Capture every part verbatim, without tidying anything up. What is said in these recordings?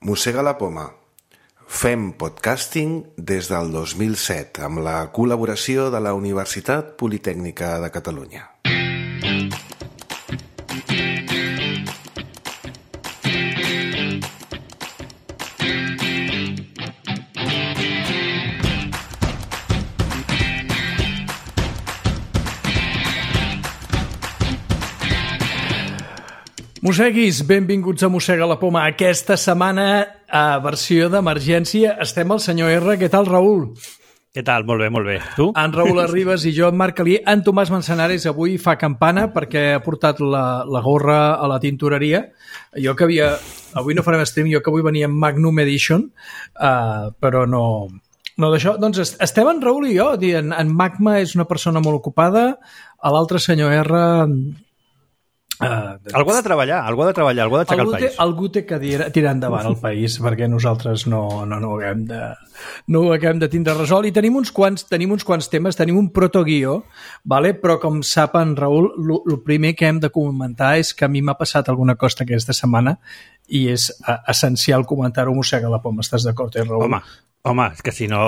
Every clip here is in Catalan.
Mossega la poma. Fem podcasting des del dos mil set amb la col·laboració de la Universitat Politècnica de Catalunya. Mosseguis, benvinguts a Mossega la poma. Aquesta setmana, a versió d'emergència, estem al senyor R. Què tal, Raül? Què tal? Molt bé, molt bé. Tu? En Raül Arribas i jo, en Marc Calí. En Tomàs Manzanares avui fa campana perquè ha portat la, la gorra a la tintoreria. Jo que havia... Avui no farem stream, jo que avui venia en Magnum Edition, uh, però no... No d'això. Doncs estem en Raül i jo. En, en Magma és una persona molt ocupada, a l'altre senyor R... Uh, algú ha de treballar, algú ha de treballar, algú ha d'aixecar el país. Té, algú té que tirar endavant el país perquè nosaltres no, no, no, ho haguem de, no ho haguem de tindre resolt. I tenim uns quants, tenim uns quants temes, tenim un protoguió, vale? Però com sap en Raül, el primer que hem de comentar és que a mi m'ha passat alguna cosa aquesta setmana i és uh, essencial comentar-ho. Mossega la poma. Estàs d'acord, eh, Raül? Home, home, és que si no...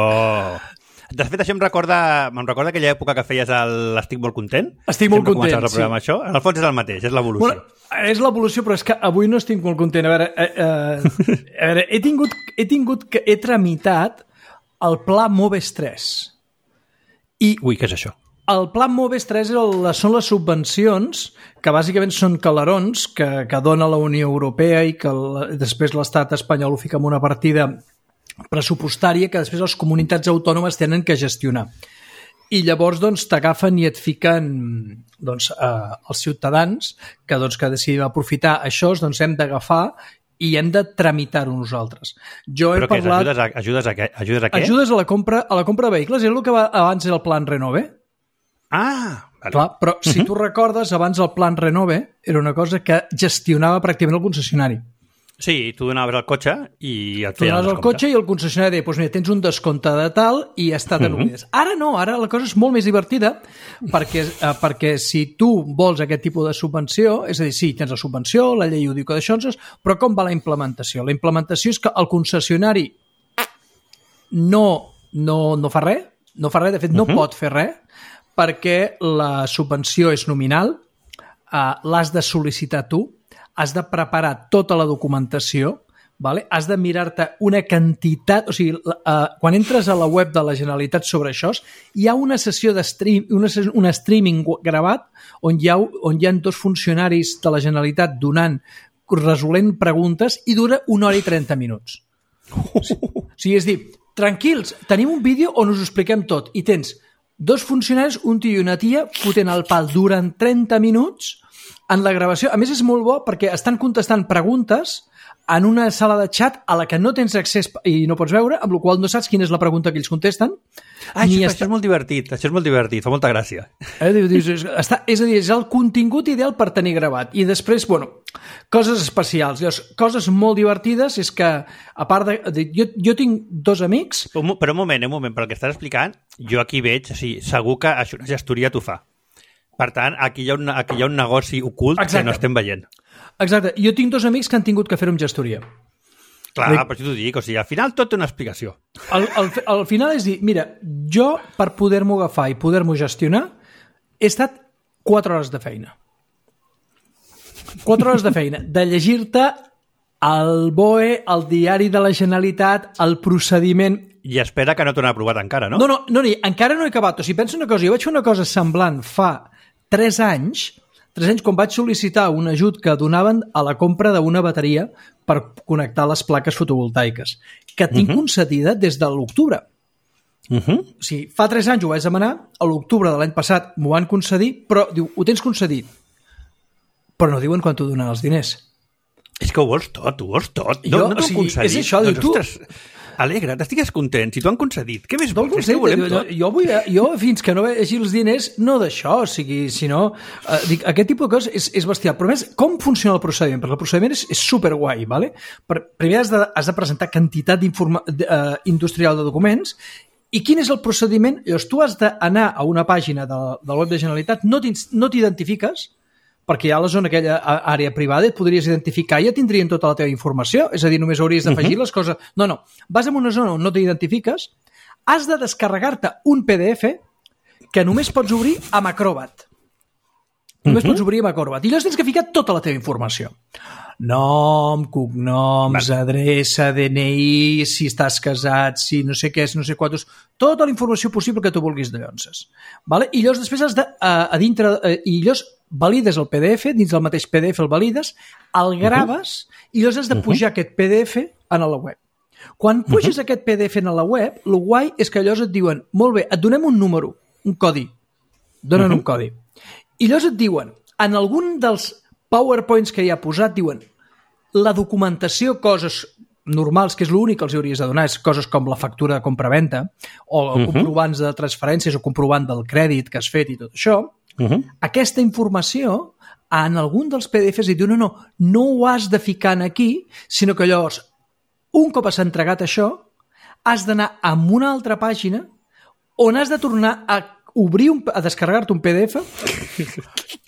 De fet, això em recorda, em recorda aquella època que feies l'Estic molt content. Estic molt content, sí. Això. En el fons és el mateix, és l'evolució. Bueno, és l'evolució, però és que avui no estic molt content. A veure, eh, eh, a veure he, tingut, he tingut que he tramitat el Pla Moves tres. I Ui, què és això? El Pla Moves tres el, són les subvencions que bàsicament són calarons que, que dona la Unió Europea i que el, després l'Estat espanyol ho fica en una partida pressupostària que després les comunitats autònomes tenen que gestionar. I llavors doncs, t'agafen i et fiquen doncs, eh, els ciutadans que, doncs, que decidim aprofitar això, doncs hem d'agafar i hem de tramitar-ho nosaltres. Jo Però he parlat... Ajudes a, ajudes, a què? ajudes a què? Ajudes a la compra, a la compra de vehicles. És el que va, abans era el Plan Renove. Ah, vale. Clar, però uh-huh. si tu recordes, abans el Plan Renove era una cosa que gestionava pràcticament el concessionari. Sí, tu donaves el cotxe i et tu feien el descompte. Tu donaves el cotxe i el concessionari deia, doncs mira, tens un descompte de tal i ja està denomitat. Uh-huh. Ara no, ara la cosa és molt més divertida perquè, eh, perquè si tu vols aquest tipus de subvenció, és a dir, sí, tens la subvenció, la llei ho diu que d'això, però com va la implementació? La implementació és que el concessionari no, no, no fa res, no fa res, de fet no uh-huh. pot fer res, perquè la subvenció és nominal, eh, l'has de sol·licitar tu, has de preparar tota la documentació, vale? Has de mirar-te una quantitat... O sigui, uh, quan entres a la web de la Generalitat sobre això, hi ha una sessió de stream, una, un streaming gravat on hi, ha, on hi ha dos funcionaris de la Generalitat donant, resolent preguntes i dura una hora i trenta minuts. O sigui, és dir, tranquils, tenim un vídeo on us ho expliquem tot i tens dos funcionaris, un tio i una tia, fotent el pal durant trenta minuts en la gravació. A més, és molt bo perquè estan contestant preguntes en una sala de xat a la que no tens accés i no pots veure, amb la qual no saps quina és la pregunta que ells contesten. Ah, això, està... això és molt divertit, això és molt divertit, fa molta gràcia. Eh, dius, és, està, és a dir, és el contingut ideal per tenir gravat. I després, bueno, coses especials. Llavors, coses molt divertides és que, a part de... de jo, jo tinc dos amics... Però, però un moment, un moment, pel que estàs explicant, jo aquí veig, o sigui, segur que això una gestoria t'ho fa. Per tant, aquí hi ha un, aquí hi ha un negoci ocult Exacte. Que no estem veient. Exacte. Jo tinc dos amics que han tingut que fer-ho amb gestoria. Clar, Dic... per això t'ho dic. O sigui, al final tot té una explicació. Al, al, al final és dir, mira, jo per poder-m'ho agafar i poder-m'ho gestionar he estat quatre hores de feina. Quatre hores de feina. De llegir-te el B O E, el diari de la Generalitat, el procediment... I espera que no t'ho han aprovat encara, no? No, no, no, encara no he acabat. O sigui, pensa una cosa, jo vaig fer una cosa semblant fa tres anys, tres anys quan vaig sol·licitar un ajut que donaven a la compra d'una bateria per connectar les plaques fotovoltaiques, que tinc uh-huh. concedida des de l'octubre. Uh-huh. O sigui, fa tres anys ho vaig demanar, a l'octubre de l'any passat m'ho van concedir, però diu, ho tens concedit, però no diuen quan t'ho donen els diners. És que ho vols tot, ho vols tot. Jo, no no o sigui, és això, doncs, diu, tu... Ostres, alegra't, estigues content, si t'ho han concedit. Què més no vols? És que ho volem tot. Jo, vull, jo, fins que no vegi els diners, no d'això, o sigui, si no... Eh, dic, aquest tipus de coses és, és bestial. Però més, com funciona el procediment? Perquè el procediment és, és superguai, ¿vale? Per, primer has de, has de presentar quantitat uh, industrial de documents. I quin és el procediment? Llavors, tu has d'anar a una pàgina de, de la web de Generalitat, no t'identifiques, perquè ja a la zona aquella àrea privada et podries identificar i ja tindrien tota la teva informació, és a dir, només hauries d'afegir uh-huh. les coses. No, no, vas en una zona on no t'identifiques, has de descarregar-te un P D F que només pots obrir amb Acrobat. Només uh-huh. pots obrir amb Acrobat. I llavors tens que ficar tota la teva informació. Nom, cognoms, vale. adreça, D N I, si estàs casat, si no sé què és, no sé quantos... Tota la informació possible que tu vulguis de llonces. Vale? I llavors després has de... A, a dintre... A, I llavors valides el P D F, dins del mateix P D F el valides, el graves uh-huh. i llavors has de pujar uh-huh. aquest P D F a la web. Quan puges uh-huh. aquest P D F a la web, el guai és que llavors et diuen, molt bé, et donem un número, un codi, donen uh-huh. un codi. I llavors et diuen, en algun dels PowerPoints que hi ha posat, diuen, la documentació, coses normals, que és l'únic que els hauries de donar, és coses com la factura de compra-venda, o uh-huh. comprovants de transferències, o comprovant del crèdit que has fet i tot això. Uh-huh. Aquesta informació, en algun dels P D Fs, i diu, no, no, no ho has de ficar aquí, sinó que llavors, un cop has entregat això, has d'anar a una altra pàgina on has de tornar a obrir, un, a descarregar-te un P D F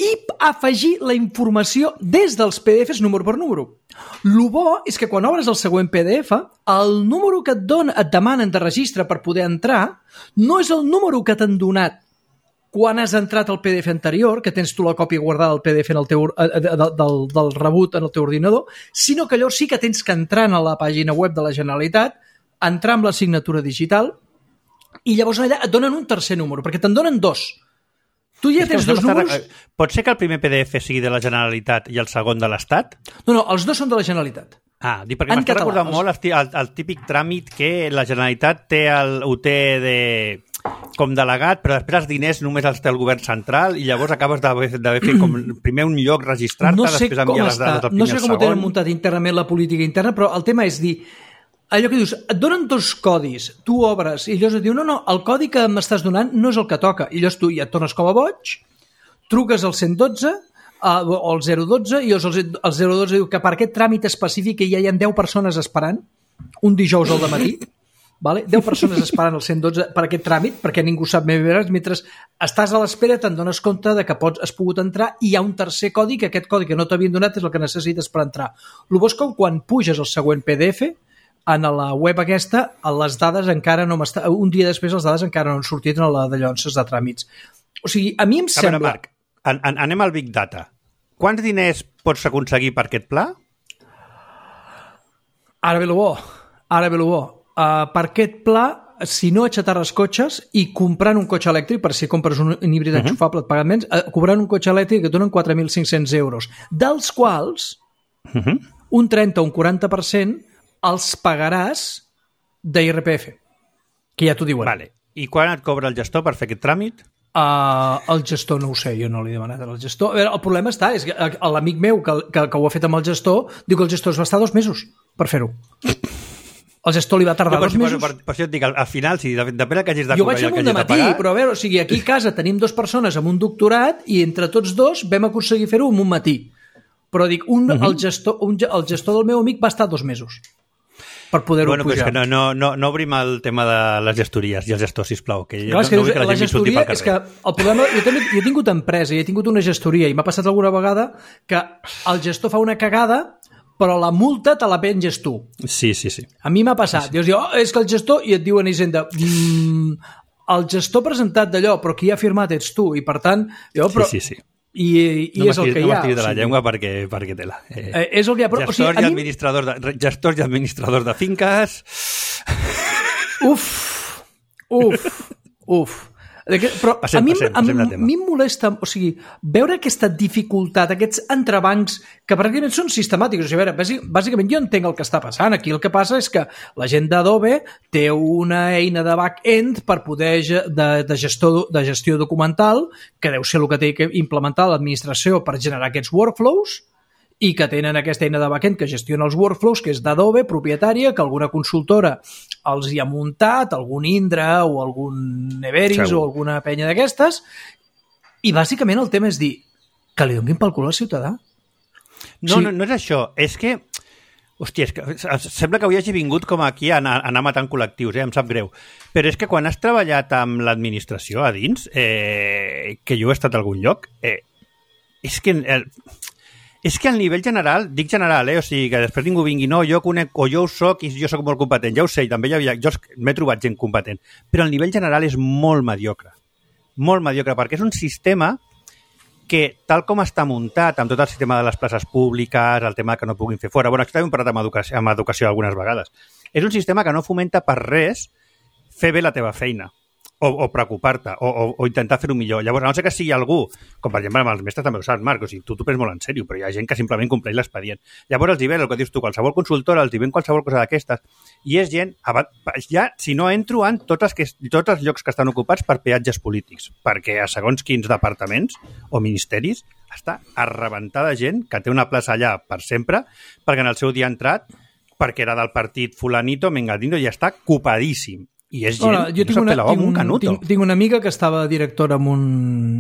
i afegir la informació des dels P D Fs número per número. El bo és que quan obres el següent P D F, el número que et, don, et demanen de registre per poder entrar no és el número que t'han donat quan has entrat al P D F anterior, que tens tu la còpia guardada del P D F en el teu, eh, del, del, del rebut en el teu ordinador, sinó que llavors sí que tens que entrar a la pàgina web de la Generalitat, entrar amb la signatura digital, i llavors allà et donen un tercer número, perquè te'n donen dos. Tu ja tens dos números... Pot ser que el primer P D F sigui de la Generalitat i el segon de l'Estat? No, no, els dos són de la Generalitat. Ah, dic, perquè m'està recordant molt el, el, el típic tràmit que la Generalitat té el, ho té de... com delegat, però després els diners només els té el govern central i llavors acabes d'haver fet com primer un lloc registrar-te, no sé després enviar les dades al primer no sé com segon. Ho tenen muntat internament la política interna, però el tema és dir, allò que dius, et donen dos codis, tu obres i llavors et diu, no, no, el codi que m'estàs donant no és el que toca, i llavors tu ja et tornes com a boig, truques al cent dotze o al zero dotze i el zero dotze diu que per aquest tràmit específic ja hi ha deu persones esperant, un dijous al dematí, vale? deu persones esperant el cent dotze per aquest tràmit, perquè ningú sap més veure, mentre estàs a l'espera te'n dones compte de que pots, has pogut entrar i hi ha un tercer codi, que aquest codi que no t'havien donat és el que necessites per entrar. El bo és que quan puges el següent P D F, en la web aquesta, les dades encara no m'estan... Un dia després les dades encara no han sortit en la de llonces de tràmits. O sigui, a mi em a sembla... Veure, Marc, an an anem al Big Data. Quants diners pots aconseguir per aquest pla? Ara ve lo bo. Ara ve lo bo. Uh, per aquest pla, si no aixetar els cotxes i comprant un cotxe elèctric, per si compres un, un híbrid uh-huh. enxufable et paguen menys, uh, comprant un cotxe elèctric et donen quatre mil cinc-cents euros, dels quals uh-huh. un trenta o un quaranta per cent els pagaràs d'I R P F, que ja t'ho diuen. Vale. I quan et cobra el gestor per fer aquest tràmit? Uh, el gestor no ho sé, jo no l'he demanat al gestor. A veure, el problema està, és que l'amic meu que, que, que ho ha fet amb el gestor diu que el gestor es va estar dos mesos per fer-ho. El gestor li va tardar no, dos mesos. Per, per, per això et dic, al, al final, si depèn que hagis de jo vaig amb un de matí, però a veure, o sigui, aquí a casa tenim dues persones amb un doctorat i entre tots dos vam aconseguir fer-ho en un matí. Però dic, un, uh-huh. el, gestor, un, el gestor del meu amic va estar dos mesos per poder-ho bueno, pujar. Bueno, no, no, no obrim el tema de les gestories i els gestors, sisplau, que Clar, no, que no vull que la, la gent m'insulti pel carrer. És que el problema, jo, també, jo he tingut empresa i he tingut una gestoria i m'ha passat alguna vegada que el gestor fa una cagada però la multa te la penges tu. Sí, sí, sí. A mi m'ha passat. Sí, sí. Dius, oh, és que el gestor... I et diuen a Hisenda, mmm, el gestor presentat d'allò, però qui ha firmat ets tu. I per tant... Jo, però, sí, sí, sí. I, i no és el que hi ha. No m'estiris de la sí. llengua perquè, perquè té-la. Eh, eh, és el que hi ha. Però, gestors, o sigui, i administradors de, gestors i administradors de finques... Uf, uf, uf. Però passem, a mi, passem, a, passem a mi em molesta, o sigui, veure aquesta dificultat, aquests entrebancs que pràcticament són sistemàtics. O sigui, a veure, bàsicament jo entenc el que està passant. Aquí el que passa és que la gent d'Adobe té una eina de back-end per poder de, de, gestor, de gestió documental, que deu ser el que té que implementar l'administració per generar aquests workflows, i que tenen aquesta eina de backend que gestiona els workflows, que és d'Adobe, propietària, que alguna consultora els hi ha muntat, algun Indra o algun Everis Segur. O alguna penya d'aquestes, i bàsicament el tema és dir que li donin pel cul al ciutadà. No, sí. no, no és això, és que hòstia, és que sembla que avui hagi vingut com aquí a anar, a anar matant col·lectius, eh? Em sap greu. Però és que quan has treballat amb l'administració a dins, eh, que jo he estat a algun lloc, eh, és que... El, és que al nivell general, dic general, eh? O sigui, que després ningú vingui, no, jo conec, o jo ho soc i jo soc molt competent, ja ho sé, també hi havia, jo m'he trobat gent competent, però al nivell general és molt mediocre, molt mediocre, perquè és un sistema que, tal com està muntat, amb tot el sistema de les places públiques, el tema que no puguin fer fora, bueno, aquí també hem parlat amb educació, amb educació algunes vegades, és un sistema que no fomenta per res fer bé la teva feina, o, o preocupar-te, o, o, o intentar fer-ho millor. Llavors, a no ser que sigui algú, com per exemple amb els mestres també ho saps, Marc, o sigui, tu t'ho prens molt en sèrio, però hi ha gent que simplement compleix l'expedient. Llavors els hi ven el que dius tu, qualsevol consultora, els hi ven qualsevol cosa d'aquestes, i és gent, ja, si no entro en tots els, que, tots els llocs que estan ocupats per peatges polítics, perquè a segons quins departaments o ministeris està arrebentada gent que té una plaça allà per sempre, perquè en el seu dia ha entrat, perquè era del partit fulanito, mengadino, i està copadíssim. I és gent Hola, jo tinc, una, tinc, un, un tinc, tinc una amiga que estava directora en un,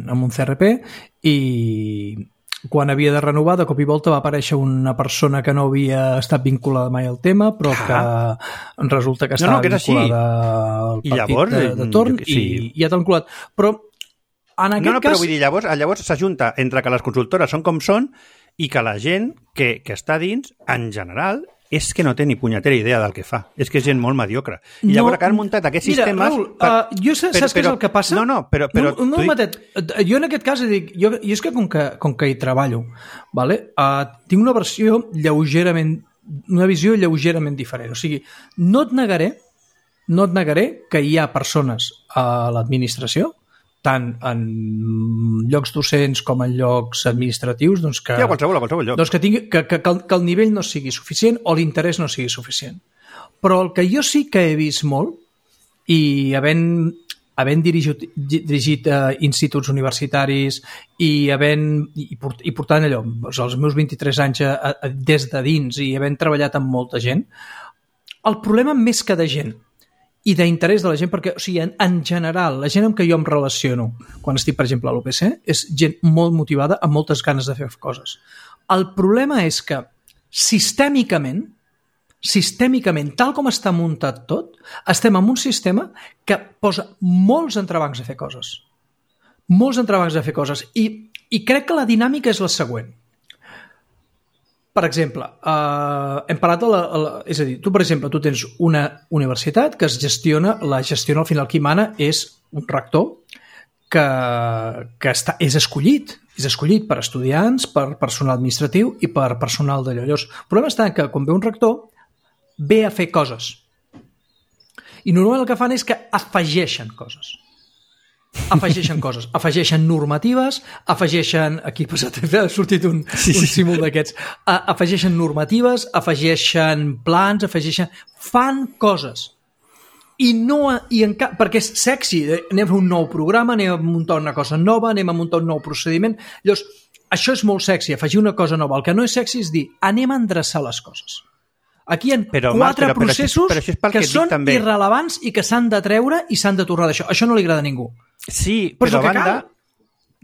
en un C R P i quan havia de renovar, de cop i volta va aparèixer una persona que no havia estat vinculada mai al tema, però que resulta que estava no, no, que vinculada al partit llavors, de, de torn sí. i, i ja t'ha vinculat. Però en aquest no, no, cas... però vull dir, llavors, llavors s'ajunta entre que les consultores són com són i que la gent que, que està dins, en general, és que no té ni punyetera idea del que fa. És que és gent molt mediocre. I no, llavors que han muntat aquests mira, sistemes... Raül, per... uh, jo sé, però, saps què és el que passa? No, no, però... però no, no, dic... matet, jo en aquest cas dic, jo, jo és que com que, com que hi treballo, vale? uh, tinc una versió lleugerament, una visió lleugerament diferent. O sigui, no et negaré, no et negaré que hi ha persones a l'administració, tant en llocs docents com en llocs administratius, doncs que, ja, qualsevol, qualsevol lloc. Doncs que, tingui, que, que, que el nivell no sigui suficient o l'interès no sigui suficient. Però el que jo sí que he vist molt, i havent, havent dirigit, dirigit uh, instituts universitaris i, havent, i, port, i portant allò, doncs els meus vint-i-tres anys a, a, des de dins i havent treballat amb molta gent, el problema més que de gent i d'interès de la gent, perquè o sigui, en, en general, la gent amb què jo em relaciono quan estic, per exemple, a l'U P C, és gent molt motivada, amb moltes ganes de fer coses. El problema és que sistèmicament, sistèmicament, tal com està muntat tot, estem en un sistema que posa molts entrebancs a fer coses. Molts entrebancs a fer coses. I, i crec que la dinàmica és la següent. Per exemple, eh, hem parlat de la, la... És a dir, tu, per exemple, tu tens una universitat que es gestiona, la gestiona al final qui mana és un rector que, que està, és escollit, és escollit per estudiants, per personal administratiu i per personal d'allò. Llavors, el problema està que quan ve un rector ve a fer coses. I normalment el que fan és que afegeixen coses. afegeixen coses, afegeixen normatives, afegeixen, aquí ha sortit un, sí, sí. un símbol d'aquests, afegeixen normatives, afegeixen plans, afegeixen, fan coses. I no, i en cap, perquè és sexy, anem a fer un nou programa, anem a muntar una cosa nova, anem a muntar un nou procediment. Llavors, això és molt sexy, afegir una cosa nova. El que no és sexy és dir, anem a endreçar les coses. Aquí hi ha però, quatre però, però, processos però, però, però que, que són també. irrelevants i que s'han de treure i s'han de tornar d'això. Això no li agrada a ningú. Sí, però, però a banda... Cal.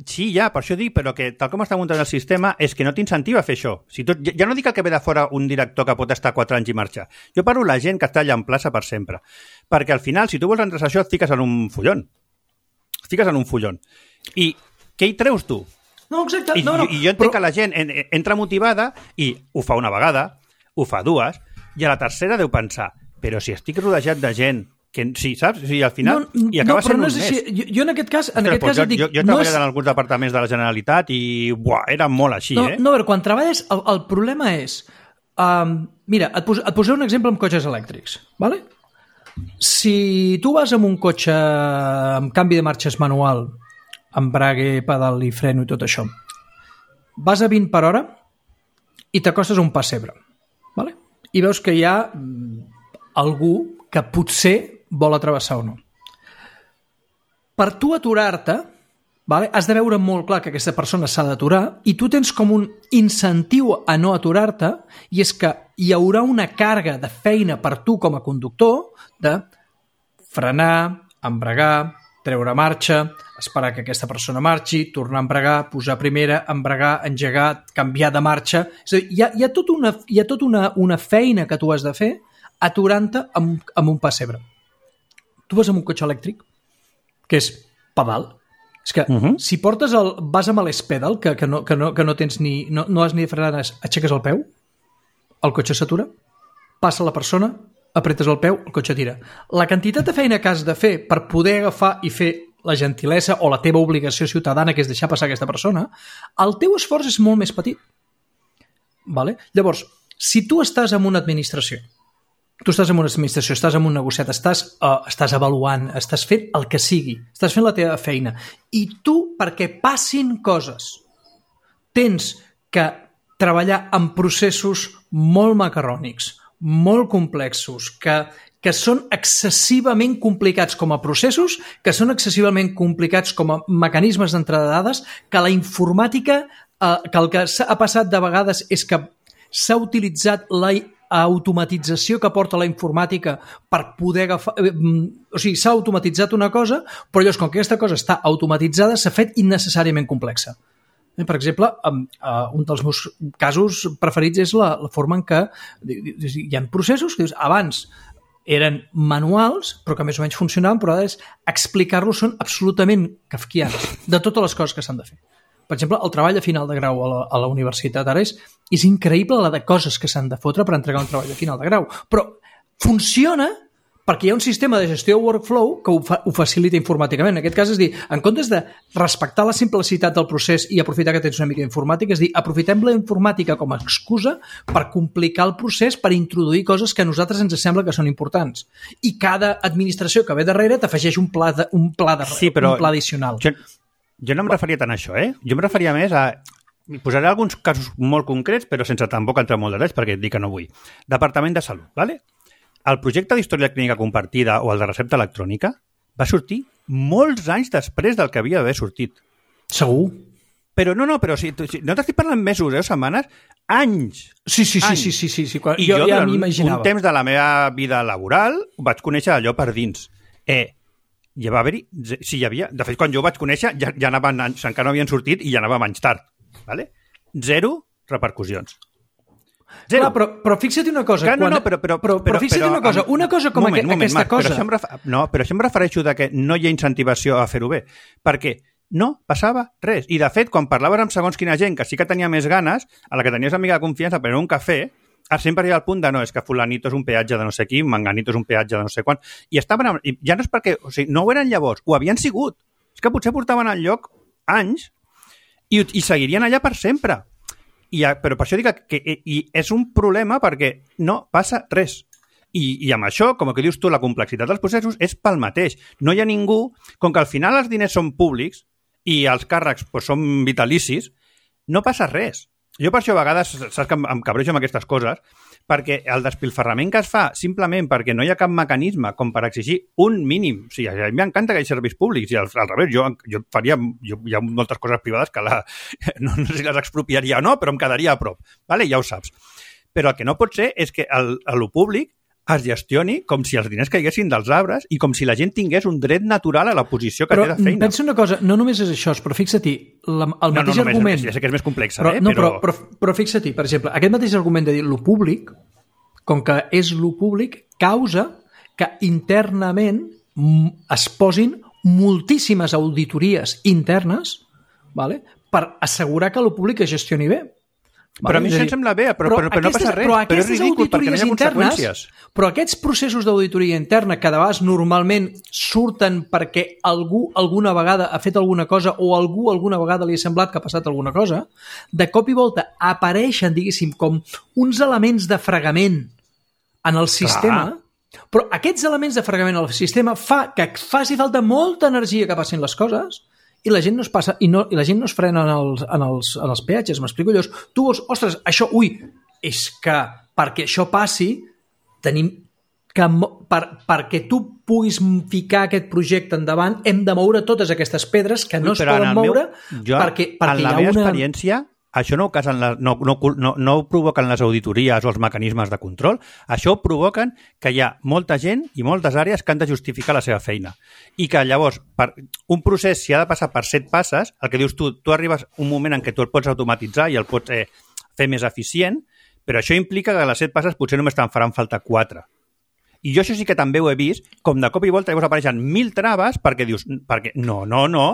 Sí, ja, per això dic, però que tal com està muntat el sistema és que no t'incentiva a fer això. Si tot, ja no dic el que ve de fora un director que pot estar quatre anys i marxar. Jo parlo la gent que està allà en plaça per sempre. Perquè al final, si tu vols endreçar això, et fiques en un follon. Et fiques en un follon. I què hi treus tu? No, exacte. I, no, no, i jo entenc però... que la gent en, entra motivada i ho fa una vegada, ho fa dues, i a la tercera deu pensar, però si estic rodejat de gent que sí, saps? O sigui, al final... No, i acaba no, sent no un és mes. Així. Jo, jo en aquest cas... En Ostres, aquest cas jo, dic, jo, jo he no treballat és... en alguns departaments de la Generalitat i buah, era molt així, no, eh? No, però quan treballes, el, el problema és... Um, mira, et, pos, et posaré un exemple amb cotxes elèctrics, ¿vale? Si tu vas amb un cotxe amb canvi de marxes manual, embrague, pedal i freno i tot això, vas a vint per hora i t'acostes a un pessebre, ¿vale? I veus que hi ha algú que potser vol atrevessar o no. Per tu aturar-te, vale, has de veure molt clar que aquesta persona s'ha d'aturar i tu tens com un incentiu a no aturar-te i és que hi haurà una càrrega de feina per tu com a conductor de frenar, embragar, treure marxa, esperar que aquesta persona marxi, tornar a embragar, posar primera, embragar, engegar, canviar de marxa. És a dir, hi ha, hi ha tota, una, hi ha tota una, una feina que tu has de fer aturant-te amb, amb un pessebre. Tu vas amb un cotxe elèctric, que és pedal, És que uh-huh. si portes el... vas amb l'espedal, que, que, no, que, no, que no tens ni... no, no has ni de frenar, aixeques el peu, el cotxe s'atura, passa la persona, apretes el peu, el cotxe tira. La quantitat de feina que has de fer per poder agafar i fer la gentilesa o la teva obligació ciutadana, que és deixar passar aquesta persona, el teu esforç és molt més petit. Vale? Llavors, si tu estàs en una administració, tu estàs en una administració, estàs en un negociat, estàs, uh, estàs avaluant, estàs fent el que sigui, estàs fent la teva feina, i tu, perquè passin coses, tens que treballar en processos molt macarrònics, molt complexos, que, que són excessivament complicats com a processos, que són excessivament complicats com a mecanismes d'entrada de dades, que la informàtica, eh, que el que ha passat de vegades és que s'ha utilitzat la automatització que porta la informàtica per poder agafar... Eh, o sigui, s'ha automatitzat una cosa, però llavors, com que aquesta cosa està automatitzada, s'ha fet innecessàriament complexa. Per exemple, un dels meus casos preferits és la, la forma en què hi ha processos que dius, abans eren manuals, però que més o menys funcionaven, però ara és explicar-los són absolutament kafkians de totes les coses que s'han de fer. Per exemple, el treball de final de grau a la, a la universitat ara és, és increïble la de coses que s'han de fotre per entregar un treball de final de grau, però funciona perquè hi ha un sistema de gestió de workflow que ho, fa, ho facilita informàticament. En aquest cas és dir, en comptes de respectar la simplicitat del procés i aprofitar que tens una mica d'informàtica, és dir, aprofitem la informàtica com a excusa per complicar el procés, per introduir coses que a nosaltres ens sembla que són importants. I cada administració que ve darrere t'afegeix un pla, de, un pla, de, sí, però un pla addicional. Jo, jo no em referia tant a això, eh? Jo em referia més a... Posaré alguns casos molt concrets, però sense tampoc entrar molt de detalls, perquè et dic que no vull. Departament de Salut, ¿vale? El projecte d'història clínica compartida o el de recepta electrònica va sortir molts anys després del que havia d'haver sortit. Segur. Però no, no, però si, si no t'estic parlant mesos o eh, setmanes, anys. Sí, sí, anys. sí, sí, sí, sí. Quan, I jo, jo, ja durant m'imaginava. un temps de la meva vida laboral vaig conèixer allò per dins. Eh, ja va haver-hi... Si hi havia... De fet, quan jo ho vaig conèixer, ja, ja anaven anys, encara no havien sortit i ja anava anys tard. Vale? Zero repercussions. Zero. Clar, però, però fixa't una cosa. Clar, no, quan... no, però, però, però, però fixa't però, una cosa. Una cosa com moment, aqu moment, aquesta Marc, cosa... Però això, em ref... no, però això em refereixo de que no hi ha incentivació a fer-ho bé. Perquè no passava res. I, de fet, quan parlaves amb segons quina gent que sí que tenia més ganes, a la que tenies amiga de confiança per un cafè, sempre hi ha el punt de no, és que fulanito és un peatge de no sé qui, manganito és un peatge de no sé quan. I estaven... I ja no és perquè... O sigui, no ho eren llavors, ho havien sigut. És que potser portaven al lloc anys i, i seguirien allà per sempre. I, però per això dic que i és un problema perquè no passa res. I, i amb això, com que dius tu, la complexitat dels processos és pel mateix. No hi ha ningú, com que al final els diners són públics i els càrrecs pues, són vitalicis, no passa res. Jo per això a vegades, saps que em, em cabrejo amb aquestes coses, perquè el despilfarrament que es fa simplement perquè no hi ha cap mecanisme com per exigir un mínim. O sigui, a mi m'encanta que hi hagi serveis públics i al, al revés, jo, jo faria... Jo, hi ha moltes coses privades que la, no, no sé si les expropiaria o no, però em quedaria a prop. Vale? Ja ho saps. Però el que no pot ser és que el, el públic es gestioni com si els diners caiguessin dels arbres i com si la gent tingués un dret natural a la posició que però té de feina. Però pensa una cosa, no només és això, però fixa-t'hi, el no, mateix no, no, argument... Ja sé que és més complex, però, eh? No, però, però, però, però fixa-t'hi, per exemple, aquest mateix argument de dir lo públic, com que és lo públic, causa que internament es posin moltíssimes auditories internes, vale, per assegurar que lo públic es gestioni bé. Però vale? A mi això em sembla bé, però, però, però, però no passa res, però, però és ridícul perquè no hi ha conseqüències. Internes, però aquests processos d'auditoria interna que de vegades normalment surten perquè algú alguna vegada ha fet alguna cosa o algú alguna vegada li ha semblat que ha passat alguna cosa, de cop i volta apareixen, diguéssim, com uns elements de fregament en el sistema, clar. Però aquests elements de fregament en el sistema fa que faci falta molta energia que passin les coses i la gent no es passa i, no, i la gent no es frena en els, en els, en els peatges, m'explico. Llavors, tu vols, ostres, això, ui, és que perquè això passi tenim que, per, perquè tu puguis ficar aquest projecte endavant hem de moure totes aquestes pedres que no ui, es poden moure meu, jo, perquè, perquè en la hi ha meva una... experiència això no ho, casen les, no, no, no, no ho provoquen les auditories o els mecanismes de control, això ho provoquen que hi ha molta gent i moltes àrees que han de justificar la seva feina. I que llavors, per, un procés, si ha de passar per set passes, el que dius tu, tu arribes un moment en què tu el pots automatitzar i el pots eh, fer més eficient, però això implica que a les set passes potser només te'n faran falta quatre. I jo això sí que també ho he vist, com de cop i volta llavors apareixen mil traves perquè dius, perquè no, no, no,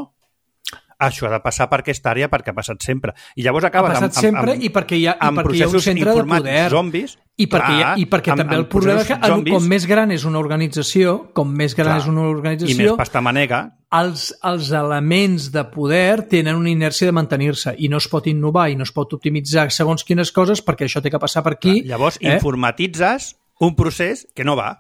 això ha de passar per aquesta àrea perquè ha passat sempre. I llavors acabes ha passat amb, sempre amb, i perquè hi ha, i amb perquè hi ha un centre de poder. Zombis. I perquè, clar, i perquè amb, també el problema és que zombis, com més gran és una organització, com més gran clar, és una organització... I més pastamanega. Els, els elements de poder tenen una inèrcia de mantenir-se i no es pot innovar i no es pot optimitzar segons quines coses perquè això té que passar per aquí. Clar, llavors eh? informatitzes un procés que no va.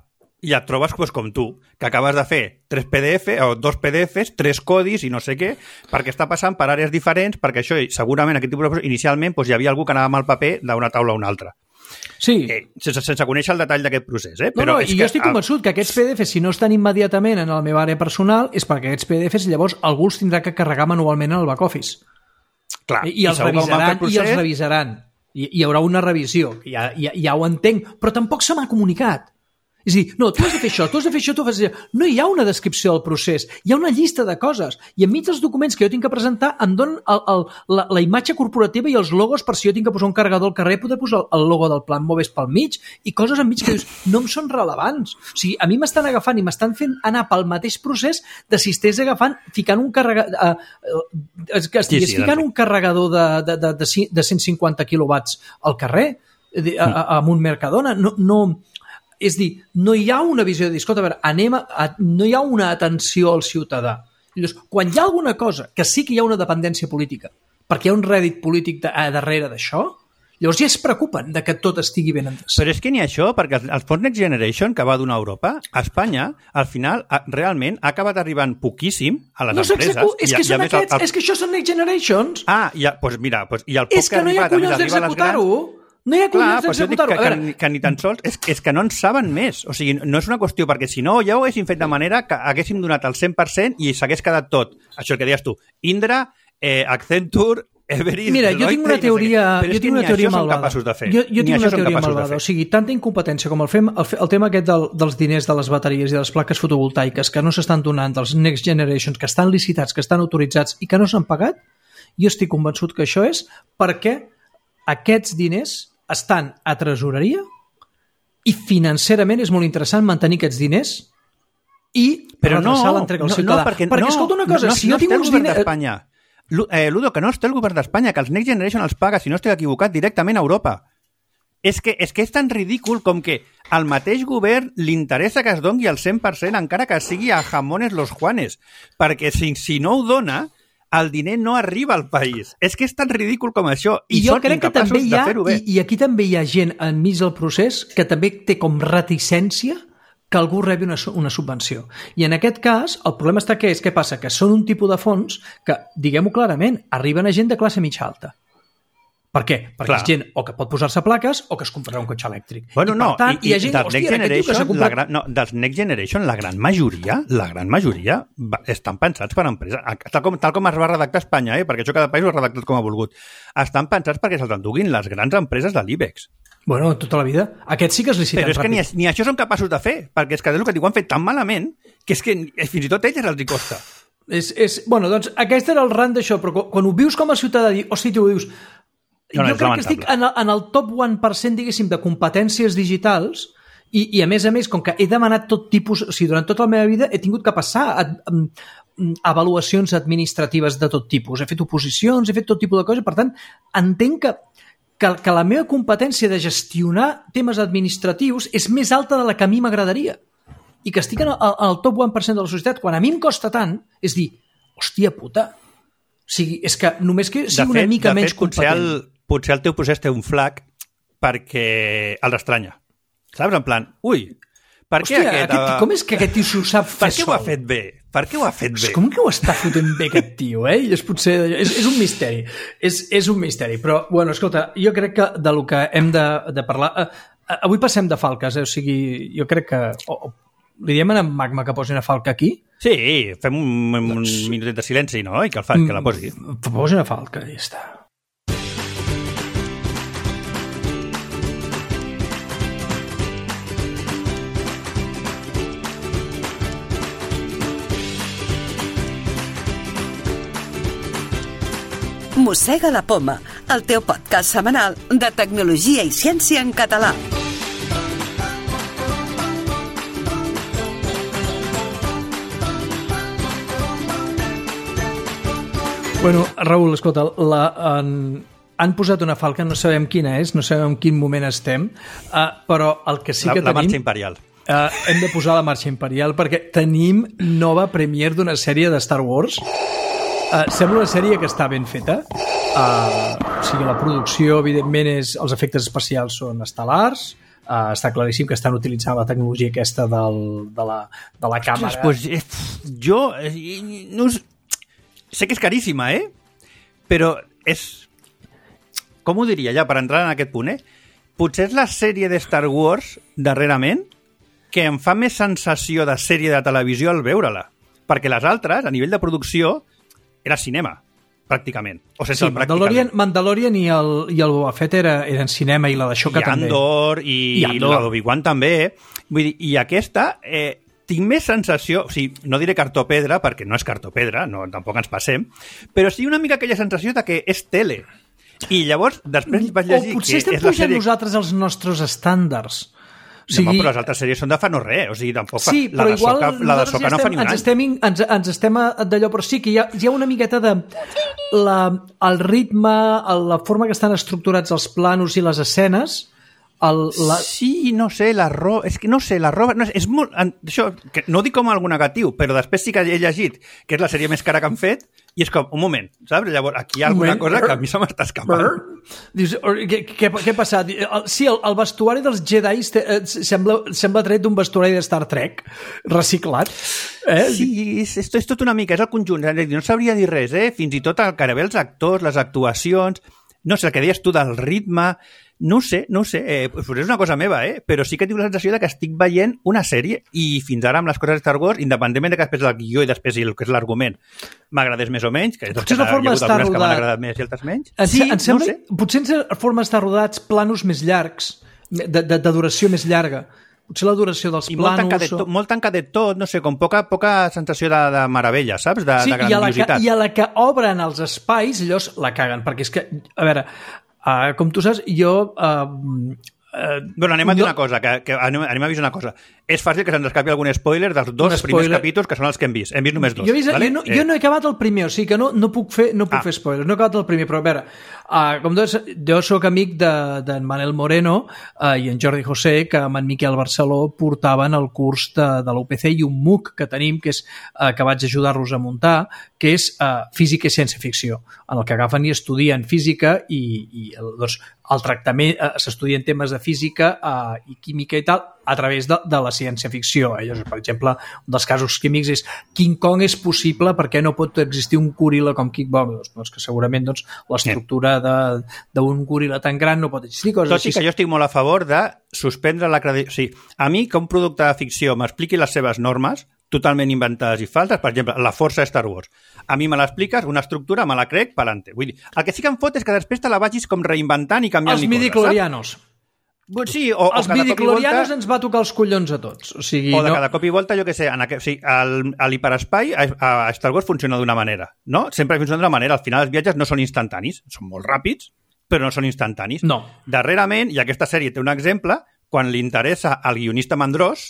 I et trobes pues, com tu, que acabes de fer tres P D F o dos P D Fs, tres codis i no sé què, perquè està passant per àrees diferents, perquè això, segurament, aquest tipus de procés, inicialment pues, hi havia algú que anava amb el paper d'una taula a una altra. Sí. Eh, sense, sense conèixer el detall d'aquest procés. Eh? No, Però no, és i que jo estic el... convençut que aquests P D Fs, si no estan immediatament en la meva àrea personal, és perquè aquests P D Fs llavors algú els tindrà que carregar manualment en el back-office. Clar, I, i, els revisaran, procés... i els revisaran. I hi haurà una revisió, ja, ja, ja ho entenc, però tampoc se m'ha comunicat. És a dir, no, tu has de fer això, tu has de fer això, tu has de fer això. No hi ha una descripció del procés, hi ha una llista de coses. I enmig dels documents que jo tinc que presentar em donen el, el, la, la imatge corporativa i els logos per si jo tinc que posar un carregador al carrer, poder posar el logo del Plan Moves pel mig i coses enmig que dius, no em són rellevants. O sigui, a mi m'estan agafant i m'estan fent anar pel mateix procés de si estigués agafant, ficant un carregador... Eh, que estigués sí, sí, ficant un carregador de, de, de, de, de cent cinquanta quilowatts al carrer, a, a, a un Mercadona. No... no És dir, no hi ha una visió de dir, escolta, a veure, anem a, a, no hi ha una atenció al ciutadà. Llavors, quan hi ha alguna cosa que sí que hi ha una dependència política, perquè hi ha un rèdit polític de, a darrere d'això, llavors ja es preocupen de que tot estigui ben endreçat. Però és que ni això, perquè el Fons Next Generation que va donar a Europa, a Espanya, al final, realment ha acabat arribant poquíssim a les no empreses. És que, són aquests, el, el... és que això són Next Generations. Ah, ja, doncs mira, doncs, i el poc és que, que no hi ha collons d'executar-ho. No hi ha collons d'executar-ho. Que, que, que ni tan sols... És, és que no en saben més. O sigui, no és una qüestió, perquè si no ja ho haguéssim fet de manera que haguéssim donat el cent per cent i s'hagués quedat tot. Això que deies tu. Indra, eh, Accenture, Everest... Mira, jo tinc una teoria, no sé jo tinc una teoria malvada. De fer. Jo, jo tinc una teoria malvada. O sigui, tanta incompetència com el fem, el, el tema aquest del, dels diners de les bateries i de les plaques fotovoltaiques que no s'estan donant, dels Next Generations, que estan licitats, que estan autoritzats i que no s'han pagat, jo estic convençut que això és perquè aquests diners estan a tresoreria i financerament és molt interessant mantenir aquests diners i però no, l'entrega al no, ciutadà. No, perquè, perquè no, escolta una cosa, no, si no jo tinc uns diners... d'Espanya. Eh, Ludo, que no es té el govern d'Espanya, que els Next Generation els paga, si no estic equivocat, directament a Europa. És que, és que és tan ridícul com que al mateix govern li interessa que es doni el cent per cent encara que sigui a jamones los Juanes, perquè si, si no ho dona... el diner no arriba al país. És que és tan ridícul com això. I, I jo són crec que també hi ha, de fer-ho bé. I, I aquí també hi ha gent enmig del procés que també té com reticència que algú rebi una, una subvenció. I en aquest cas, el problema està que és què passa? Que són un tipus de fons que, diguem-ho clarament, arriben a gent de classe mitja alta. Per què? Perquè Clar. és gent o que pot posar-se plaques o que es comprarà un cotxe elèctric. Bueno, I, no, per tant, i, i, hi ha gent, dels hòstia, Next Generation, que comprat... la gran, no, dels Next Generation, la gran majoria, la gran majoria va, estan pensats per empreses, tal com, tal com es va redactar a Espanya, eh? Perquè això cada país ho ha redactat com ha volgut. Estan pensats perquè se'ls enduguin les grans empreses de l'IBEX. Bueno, tota la vida. Aquests sí que es liciten Però és que ràpid. ni, ni això són capaços de fer, perquè és que és el que diu, han fet tan malament que és que fins i tot a elles els hi costa. És, és, bueno, doncs aquest era el rant d'això, però quan ho vius com a ciutadà, hosti, tu ho dius... No, no, jo crec que estic en el, en el top un per cent, diguéssim, de competències digitals i, i a més a més, com que he demanat tot tipus... O sigui, durant tota la meva vida he tingut que passar a, a, a avaluacions administratives de tot tipus. He fet oposicions, he fet tot tipus de coses, per tant, entenc que que, que la meva competència de gestionar temes administratius és més alta de la que a mi m'agradaria. I que estic en el, en el top un per cent de la societat, quan a mi em costa tant, és dir, hòstia puta, o sigui, és que només que sigui una mica menys competent. Potser el, potser el teu procés té un flac perquè els estranya. Saps? En plan, ui, per què Hòstia, aquest... aquest, com és que aquest tio s'ho sap fer per què sol? ho ha fet bé? Per què ho ha fet bé? Com que ho està fotent bé aquest tio, eh? I és potser... És, és un misteri. És, és un misteri. Però, bueno, escolta, jo crec que de lo que hem de, de parlar... Eh, avui passem de falques, eh? O sigui, jo crec que... Oh, li diem a en Magma que posi una falca aquí? Sí, fem un, un doncs... minutet de silenci, no? I que, el fa, que la posi. Posi una falca, i ja està. Mossega la Poma, el teu podcast setmanal de tecnologia i ciència en català. Bueno, Raül, escolta, la, en, han posat una falca, no sabem quina és, no sabem en quin moment estem, uh, però el que sí la, que la tenim... marxa imperial. Uh, hem de posar la marxa imperial perquè tenim nova premiere d'una sèrie de Star Wars. Uh, sembla una sèrie que està ben feta. Uh, o sigui, la producció, evidentment, és, els efectes especials són estel·lars. Uh, està claríssim que estan utilitzant la tecnologia aquesta del, de, la, de la càmera. Ostres, pues, eh, jo eh, no, sé que és caríssima, eh? Però és... Com ho diria, ja, per entrar en aquest punt, eh? Potser és la sèrie de Star Wars, darrerament, que em fa més sensació de sèrie de televisió al veure-la. Perquè les altres, a nivell de producció, era cinema, pràcticament. O sense sí, el Mandalorian, Mandalorian i el, i el Boba Fett era, eren cinema i la d'Aixoka també. I Andor, i, I Andor. la d'Obi-Wan també. Vull dir, i aquesta, eh, tinc més sensació, o sigui, no diré cartopedra, perquè no és cartopedra, no, tampoc ens passem, però sí una mica aquella sensació de que és tele. I llavors, després vaig llegir o potser que estem és la pujant sèrie... nosaltres els nostres estàndards. O sigui... No, però les altres sèries són de fa no res, o sigui, tampoc fa... Sí, la però de igual Soca, la de Soca ja no fa ni un ens any. estem, ens, ens estem d'allò, però sí que hi ha, hi ha una miqueta de... La, el ritme, la forma que estan estructurats els planos i les escenes... El, la... Sí, no sé, la roba... És que no sé, la roba... No, és, és molt... Això, que no ho dic com algun negatiu, però després sí que he llegit que és la sèrie més cara que han fet i és com, un moment, saps? Llavors, aquí hi ha alguna cosa que a mi se m'està escapant. Dius, què, què, què ha passat? Sí, el, el vestuari dels Jedi sembla, sembla tret d'un vestuari de Star Trek reciclat. Eh? Sí, és, és, és tot una mica, és el conjunt. No sabria dir res, eh? Fins i tot el que els actors, les actuacions... No sé, el que deies tu del ritme... No sé, no sé, eh, pues és una cosa meva, eh? Però sí que tinc la sensació de que estic veient una sèrie i fins ara amb les coses de Star Wars, independentment de que després el guió i després el que és l'argument m'agradés més o menys, que, potser que la forma hi ha hagut algunes rodat... que m'han agradat més i altres menys. En, sí, en sembla, no sé. Potser en forma d'estar rodats planos més llargs, de, de, de duració més llarga. Potser la duració dels I planos... molt tancadet, o... tot, molt tancadet tot, no sé, com poca, poca sensació de, de meravella, saps? De, sí, de grandiositat. I a, la que, I a la que obren els espais, llavors la caguen, perquè és que, a veure... Uh, com tu saps, jo... Uh, uh, bueno, anem a dir una cosa, que, que anem, anem a dir una cosa. És fàcil que se'ns escapi algun spoiler dels dos primers capítols, que són els que hem vist. Hem vist només dos. Jo, vist, vale? jo, no, eh. jo no he acabat el primer, o sigui que no, no puc fer, no puc ah. fer spoilers, no he acabat el primer, però a veure, uh, com doncs, jo sóc amic d'en de, Manel Moreno uh, i en Jordi José, que amb en Miquel Barceló portaven el curs de, de l'U P C i un MOOC que tenim, que és uh, que vaig ajudar-los a muntar, que és uh, física i ciència-ficció, en el que agafen i estudien física i, i doncs, el tractament, uh, s'estudien temes de física uh, i química i tal, a través de, de la ciència-ficció. Eh? Per exemple, un dels casos químics és King Kong és possible perquè no pot existir un goril·la com King Kong. Doncs que segurament doncs, l'estructura d'un goril·la tan gran no pot existir. Coses Tot i així. que jo estic molt a favor de suspendre la credibilitat. O sigui, a mi que un producte de ficció m'expliqui les seves normes, totalment inventades i falses, per exemple, la força de Star Wars. A mi me l'expliques, una estructura, me la crec, pa'lante. Vull dir, el que sí que em fot és que després te la vagis com reinventant i canviant-li coses. Els midichlorianos. Sí, o, els o cada midichlorianos volta... ens va tocar els collons a tots. O, sigui, o de no... cada cop i volta, jo què sé, en aquest, o sigui, el, a l'hiperespai a, a Star Wars funciona d'una manera, no? Sempre funciona d'una manera. Al final els viatges no són instantanis, són molt ràpids, però no són instantanis. No. Darrerament, i aquesta sèrie té un exemple, quan li interessa al guionista Mandrós,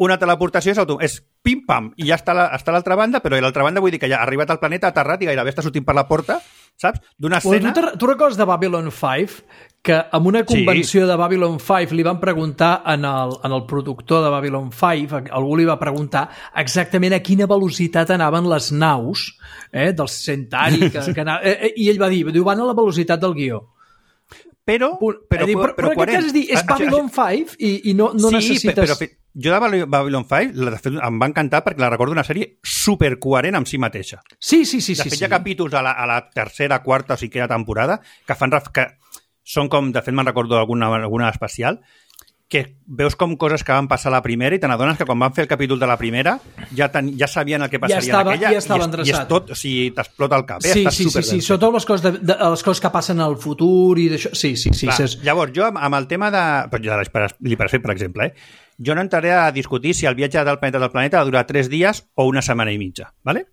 una teleportació és, auto... és pim-pam, i ja està a l'altra banda, però a l'altra banda vull dir que ja ha arribat al planeta, ha aterrat i gairebé està sortint per la porta, saps? D'una escena... Tu, tu recordes de Babylon cinc? Que en una convenció sí. de Babylon cinc li van preguntar en el, en el productor de Babylon cinc, algú li va preguntar exactament a quina velocitat anaven les naus eh, del Centauri, que, que anava, eh, i ell va dir, diu, van a la velocitat del guió. Però, però, però, però, però, però en aquest cas és dir, és Babylon cinc i, i no, no sí, necessites... Però, però, jo de Babylon cinc de fet, em va encantar perquè la recordo una sèrie supercoherent amb si mateixa. Sí, sí, sí. De fet, sí, hi ha sí. capítols a la, a la tercera, quarta o cinquena temporada que fan... que són com, de fet, me'n recordo alguna, alguna especial, que veus com coses que van passar a la primera i te n'adones que quan van fer el capítol de la primera ja, ten, ja sabien el que passaria ja estava, en aquella ja estava i, és, i és tot, o sigui, t'explota el cap. Eh? Sí, Estàs sí, sí, sí, sobretot les coses, de, de, les coses que passen al futur i d'això. Sí, sí, sí. Clar, sí. Llavors, jo amb, amb el tema de... de l'hiperespai, per exemple, eh? Jo no entraré a discutir si el viatge del planeta del planeta ha de durar tres dies o una setmana i mitja, ¿vale?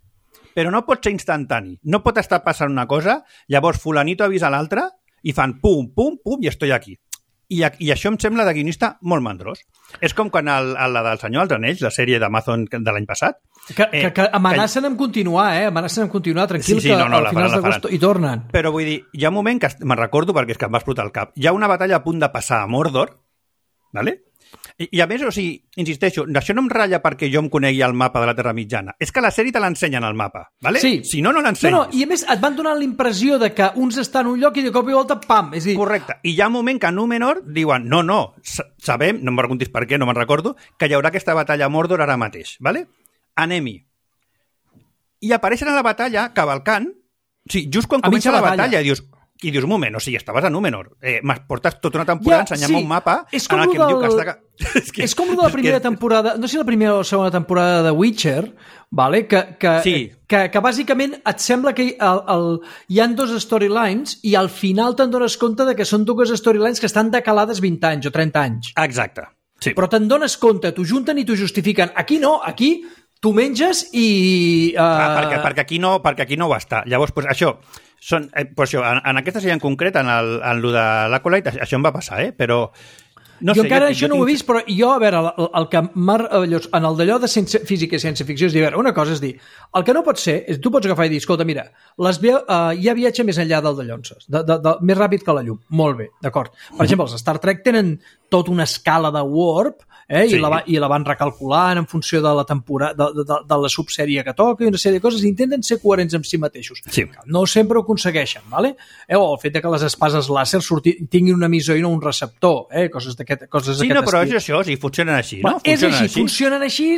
Però no pot ser instantani. No pot estar passant una cosa, llavors fulanito avisa l'altre i fan pum, pum, pum i estoy aquí. I, I això em sembla de guionista molt mandrós. És com quan el, el, la del Senyor dels Anells, la sèrie d'Amazon de l'any passat... Que, eh, que, que amenacen que... amb continuar, eh? Amenacen amb continuar, tranquil, sí, sí, no, no, que al final d'agost hi tornen. Però vull dir, hi ha un moment que me'n recordo perquè és que em va explotar el cap. Hi ha una batalla a punt de passar a Mordor, ¿vale? I, I a més, o sigui, insisteixo, això no em ratlla perquè jo em conegui el mapa de la Terra Mitjana. És que la sèrie te l'ensenyen al mapa, ¿vale? Sí. Si no, no l'ensenyes. No, no, i a més et van donar la impressió de que uns estan en un lloc i de cop i volta, pam! És dir... Correcte. I hi ha un moment que a Númenor diuen, no, no, sabem, no em preguntis per què, no me'n recordo, que hi haurà aquesta batalla a Mordor ara mateix, ¿vale? Anem-hi. I apareixen a la batalla cavalcant, sí, just quan comença la batalla, batalla i dius... I dius, un moment, o sigui, estaves a Númenor. Eh, portes tota una temporada ja, ensenyant-me sí. un mapa és com en el que del... em diu que està... és, que, és com de la primera que... temporada, no sé si la primera o la segona temporada de Witcher, vale? que, que, sí. que, que bàsicament et sembla que el, el, hi han dos storylines i al final te'n dones compte de que són dues storylines que estan decalades vint anys o trenta anys. Exacte. Sí. Però te'n dones compte, t'ho junten i t'ho justifiquen. Aquí no, aquí tu menges i... Uh... Clar, perquè, perquè, aquí no, perquè aquí no ho està. Llavors, pues, això... Són, eh, pues això, en, en aquesta sèrie en concret, en, el, en lo de l'Acolyte, això em va passar, eh? Però... No jo sé, encara jo, això jo no tinc... ho he vist, però jo, a veure, el, el que en el d'allò de ciència, física i ciència-ficció és dir, a veure, una cosa és dir, el que no pot ser és, tu pots agafar i dir, escolta, mira, les veu, uh, hi ha viatge més enllà del de Llonses, de, de, de, més ràpid que la llum, molt bé, d'acord. Per exemple, els Star Trek tenen tota una escala de warp, eh, sí. i, la va, i la van recalculant en funció de la temporada, de, de, de la subsèrie que toca i una sèrie de coses, i intenten ser coherents amb si mateixos. Sí. No sempre ho aconsegueixen, ¿vale? Eh, o el fet de que les espases làser surti, tinguin un emissor i no un receptor, eh, coses d'aquest coses sí, no, però és això, sí, funcionen així, no? Bueno, és així, així, funcionen així,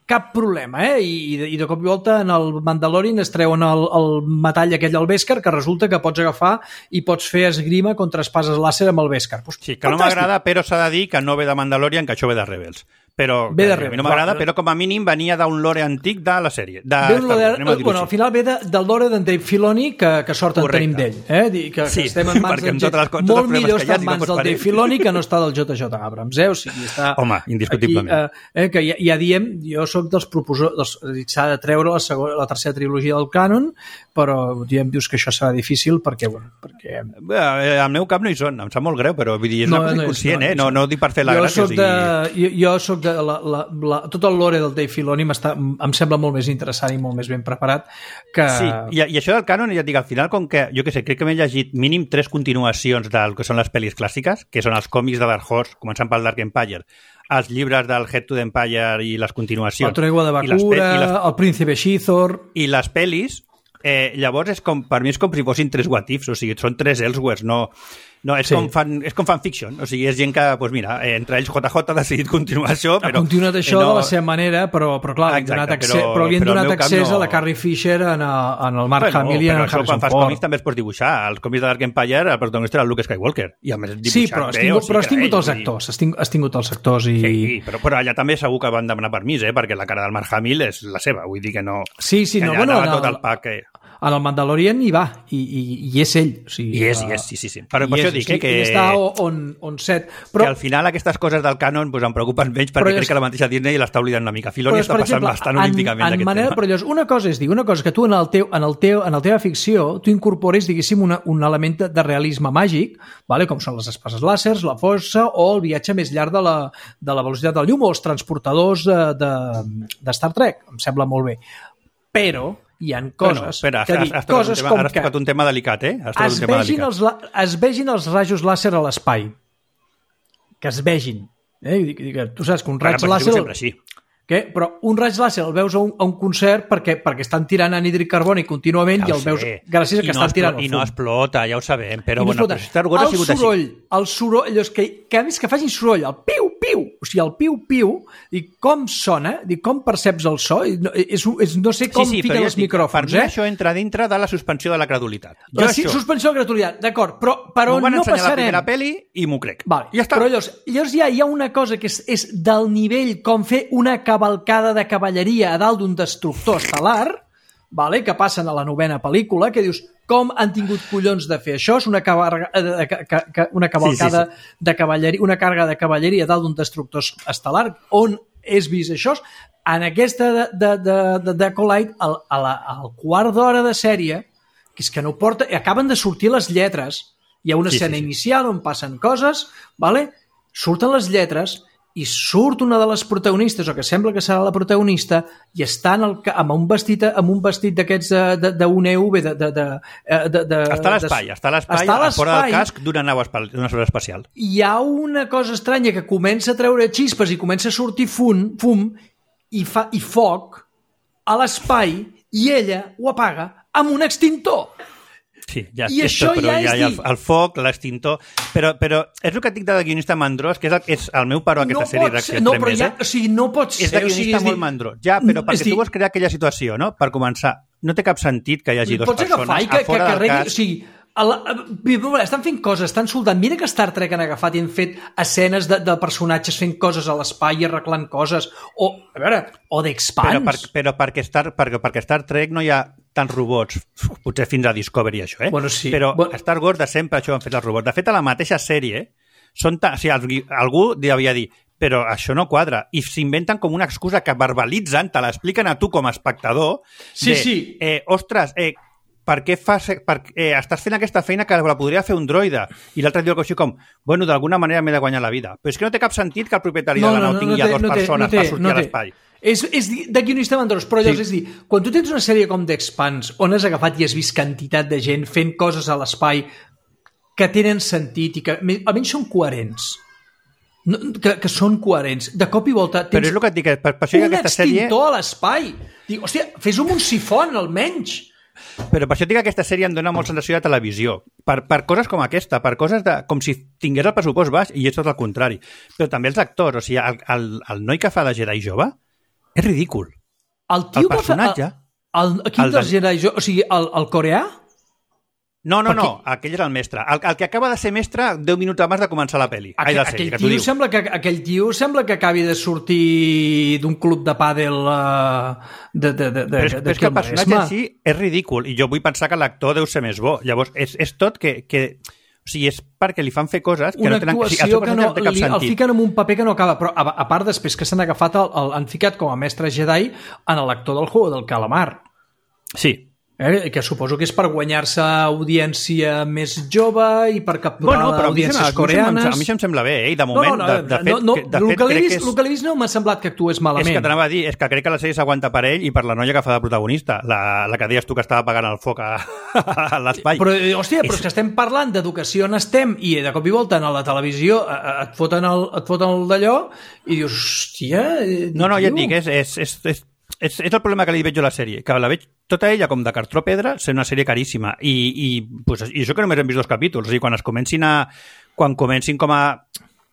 cap problema, eh? I, i de cop i volta en el Mandalorian es treuen el, el metall aquell al Beskar que resulta que pots agafar i pots fer esgrima contra espases làser amb el Beskar. Pues, sí, que no m'agrada, però s'ha de dir que no ve de Mandalorian, que això ve de Rebels. Però ve de Rebels, a mi no m'agrada, però com a mínim venia d'un lore antic de la sèrie. De ve un lore, Star, bueno, al final ve de, del lore d'en Dave Filoni, que, que sort en tenim d'ell. Eh? Que, sí, que estem en mans del J. Molt millor estar en mans del Dave Filoni que no està del J J Abrams. Eh? O sigui, està home, indiscutiblement. Aquí, eh, que ja, ja diem, jo sóc dels proposors, s'ha de treure la, segona, la tercera trilogia del cànon, però diem, dius que això serà difícil perquè, bueno, perquè... Bé, al meu cap no hi són, em sap molt greu, però vull dir, és no, una cosa no inconscient, no, eh? No, no ho dic per fer la jo gràcia. Soc de, jo, jo soc de... La, la, la, tot el lore del Dave Filoni em sembla molt més interessant i molt més ben preparat que... Sí, i, i això del cànon, ja et dic, al final, com que, jo què sé, crec que m'he llegit mínim tres continuacions del que són les pel·lis clàssiques, que són els còmics de Dark Horse, començant pel Dark Empire, els llibres del Head to the Empire i les continuacions. El Tregua de Bakura, les, el Príncipe Shithor... I les pel·lis, eh, llavors, és com, per mi és com si fossin tres what ifs, o sigui, són tres Elseworlds, no... No, és, sí. com fan, és com fanfiction, o sigui, és gent que, doncs mira, entre ells J J ha decidit continuar això, però... Ha continuat això no... de la seva manera, però, però clar, exacte, donat accés, però, però li han donat accés no... a la Carrie Fisher, en, a, en el Mark bueno, Hamill i en el Harrison Ford. Quan fas còmics també es pots dibuixar. Els còmics de Dark Empire, el protagonista era el Luke Skywalker, i a més dibuixat sí, però has tingut, bé, o sigui, però has tingut els actors, has tingut, has tingut els actors i... Sí, però, però allà també segur que van demanar permís, eh, perquè la cara del Mark Hamill és la seva, vull dir que no... Sí, sí, no, bueno... no, tot el pack, eh... En el Mandalorian hi va, i, i, i és ell. O sigui, I és, i és, sí, sí. sí. Però per això dic, eh, que... I està on, on set. Però... Que al final aquestes coses del cànon pues, em preocupen menys perquè crec és... que la mateixa Disney l'està oblidant una mica. Filoni està passant exemple, bastant olímpicament d'aquest manera, tema. Però llavors, una cosa és dir, una cosa que tu en, el teu, en, el teu, en la teva ficció tu incorpores, diguéssim, una, un element de realisme màgic, vale? Com són les espases làsers, la força o el viatge més llarg de la, de la velocitat del llum o els transportadors de, de, de Star Trek. Em sembla molt bé. Però hi ha coses, bueno, espera, que dir, has coses tema, com has que tocat un tema delicat, eh? Has es, un tema vegin delicat. Els, es vegin els rajos làser a l'espai. Que es vegin. Eh? Tu saps que un raig Ara, làser... Sempre així. Que? Però un raig làser el veus a un, a un concert perquè, perquè estan tirant anhídric carbònic contínuament ja i el veus gràcies a que no estan tirant el fum. I no explota, ja ho sabem, però, no bueno, però Star Wars ha sigut soroll, així. El soroll, allò que, que a més que facin soroll, el piu-piu, o sigui, el piu-piu, i com sona, i com perceps el so, no, és, és, no sé com sí, sí, fiquen els dic, micròfons. Per mi eh? això entra dintre de la suspensió de la credulitat. La jo suspensió de la credulitat, d'acord, però, però no passarem... la primera pel·li i m'ho crec. Vale, ja està. Però llavors, llavors ja hi ha una cosa que és, és del nivell com fer una cavalcada de cavalleria a dalt d'un destructor estel·lar, vale, que passen a la novena pel·lícula, que dius, com han tingut collons de fer això? És una, cavalga, una cavalcada sí, sí, sí. de cavalleria, una càrrega de cavalleria a dalt d'un destructor estel·lar, on és vist això? En aquesta de, de, de, de, de Acolyte, al, al, al quart d'hora de sèrie, que és que no porta... Acaben de sortir les lletres Hi ha una sí, escena sí, sí. inicial on passen coses, vale? Surten les lletres i surt una de les protagonistes, o que sembla que serà la protagonista, i està en el, amb un vestit, amb un vestit d'aquests d'un E V de, de, de, de, de, està a l'espai, està a l'espai, a fora del casc d'una nau espacial. Hi ha una cosa estranya que comença a treure xispes i comença a sortir fum, fum i, fa, i foc a l'espai, i ella ho apaga amb un extintor. Sí, ja, I això tot, però ja hi ha, és hi ha el, dir... el foc, l'extintor... Però, però és el que et dic de guionista mandrós, que és el, és el meu paro a aquesta no sèrie reacció no, però ja, o sigui, no pot ser... És de guionista o sigui, molt dir... mandrós. Ja, però perquè dir... tu vols crear aquella situació, no? Per començar, no té cap sentit que hi hagi dues persones que, que, a fora que, que del cas... O sigui, a la, a, estan fent coses, estan soldant. Mira que Star Trek han agafat i han fet escenes de, de personatges fent coses a l'espai i arreglant coses. O, a veure, o d'Expanse. Però, per, però perquè, Star, perquè, perquè Star Trek no hi ha tants robots, potser fins a Discovery això, eh? Bueno, sí. Però bueno... Star Wars de sempre això han fet els robots. De fet, a la mateixa sèrie, són ta... o sigui, algú devia dir però això no quadra, i s'inventen com una excusa que verbalitzen, te l'expliquen a tu com a espectador, sí, de, sí. Eh, ostres, eh, per què fas, per, eh, estàs fent aquesta feina que la podria fer un droide? I l'altre diu així com, bueno, d'alguna manera m'he de guanyar la vida. Però és que no té cap sentit que el propietari no, de la nau no, no, tingui no a té, dues no té, persones no té, per sortir no a té. l'espai. És, és de guionista mandrós, però llavors Sí. és dir, quan tu tens una sèrie com d'Expanse, on has agafat i has vist quantitat de gent fent coses a l'espai que tenen sentit i que almenys són coherents, no, que, que són coherents, de cop i volta tens però és el que et dic, per, per això un aquesta sèrie... extintor a l'espai. Dic, hòstia, fes-ho amb un sifon, almenys. Però per això dic que aquesta sèrie em dona molt sensació de televisió. Per, per coses com aquesta, per coses de, com si tingués el pressupost baix, i és tot el contrari. Però també els actors, o sigui, el, el, el noi que fa de Jedi jove és ridícul. El, tio el personatge... Que fa, el, el, quin el de... dels Jedi jove? O sigui, el, el coreà? No, no, Perquè... no, aquell és el mestre. El, el que acaba de ser mestre deu minuts abans de començar la pel·li. Aquell, Ai, la sèrie, aquell, que t'ho tio diu. sembla que, aquell tio sembla que acabi de sortir d'un club de pàdel uh, de, de, de, de, però és, de, però és que el personatge Maresme. en si és ridícul, i jo vull pensar que l'actor deu ser més bo. Llavors, és, és tot que... que o sigui, és perquè li fan fer coses que una no tenen... O sigui, actuació el que no, no té cap li, el sentit. fiquen en un paper que no acaba, però a, a part després que s'han agafat el, el, han ficat com a mestre Jedi en l'actor del Juego del Calamar. Sí. Eh? Que suposo que és per guanyar-se audiència més jove i per capturar bueno, però audiències a mi, coreanes. A mi això em sembla bé, eh? I de moment, no, no, de, de fet, no, no, que, de el fet que l'he crec vist, que és... el que l'he vist no m'ha semblat que actués malament. És que t'anava a dir, és que crec que la sèrie s'aguanta per ell i per la noia que fa de protagonista, la, la que deies tu que estava apagant el foc a, a l'espai. Però, hòstia, però és que estem parlant d'educació on estem i de cop i volta a la televisió et foten el, et foten el d'allò i dius, hòstia... No, no, ja et dic, és, és, és, és, és, és el problema que li veig jo a la sèrie, que la veig tota ella com de cartró pedra, ser una sèrie caríssima i, i, pues, i això que només hem vist dos capítols, o sigui, quan es comencin a quan comencin com a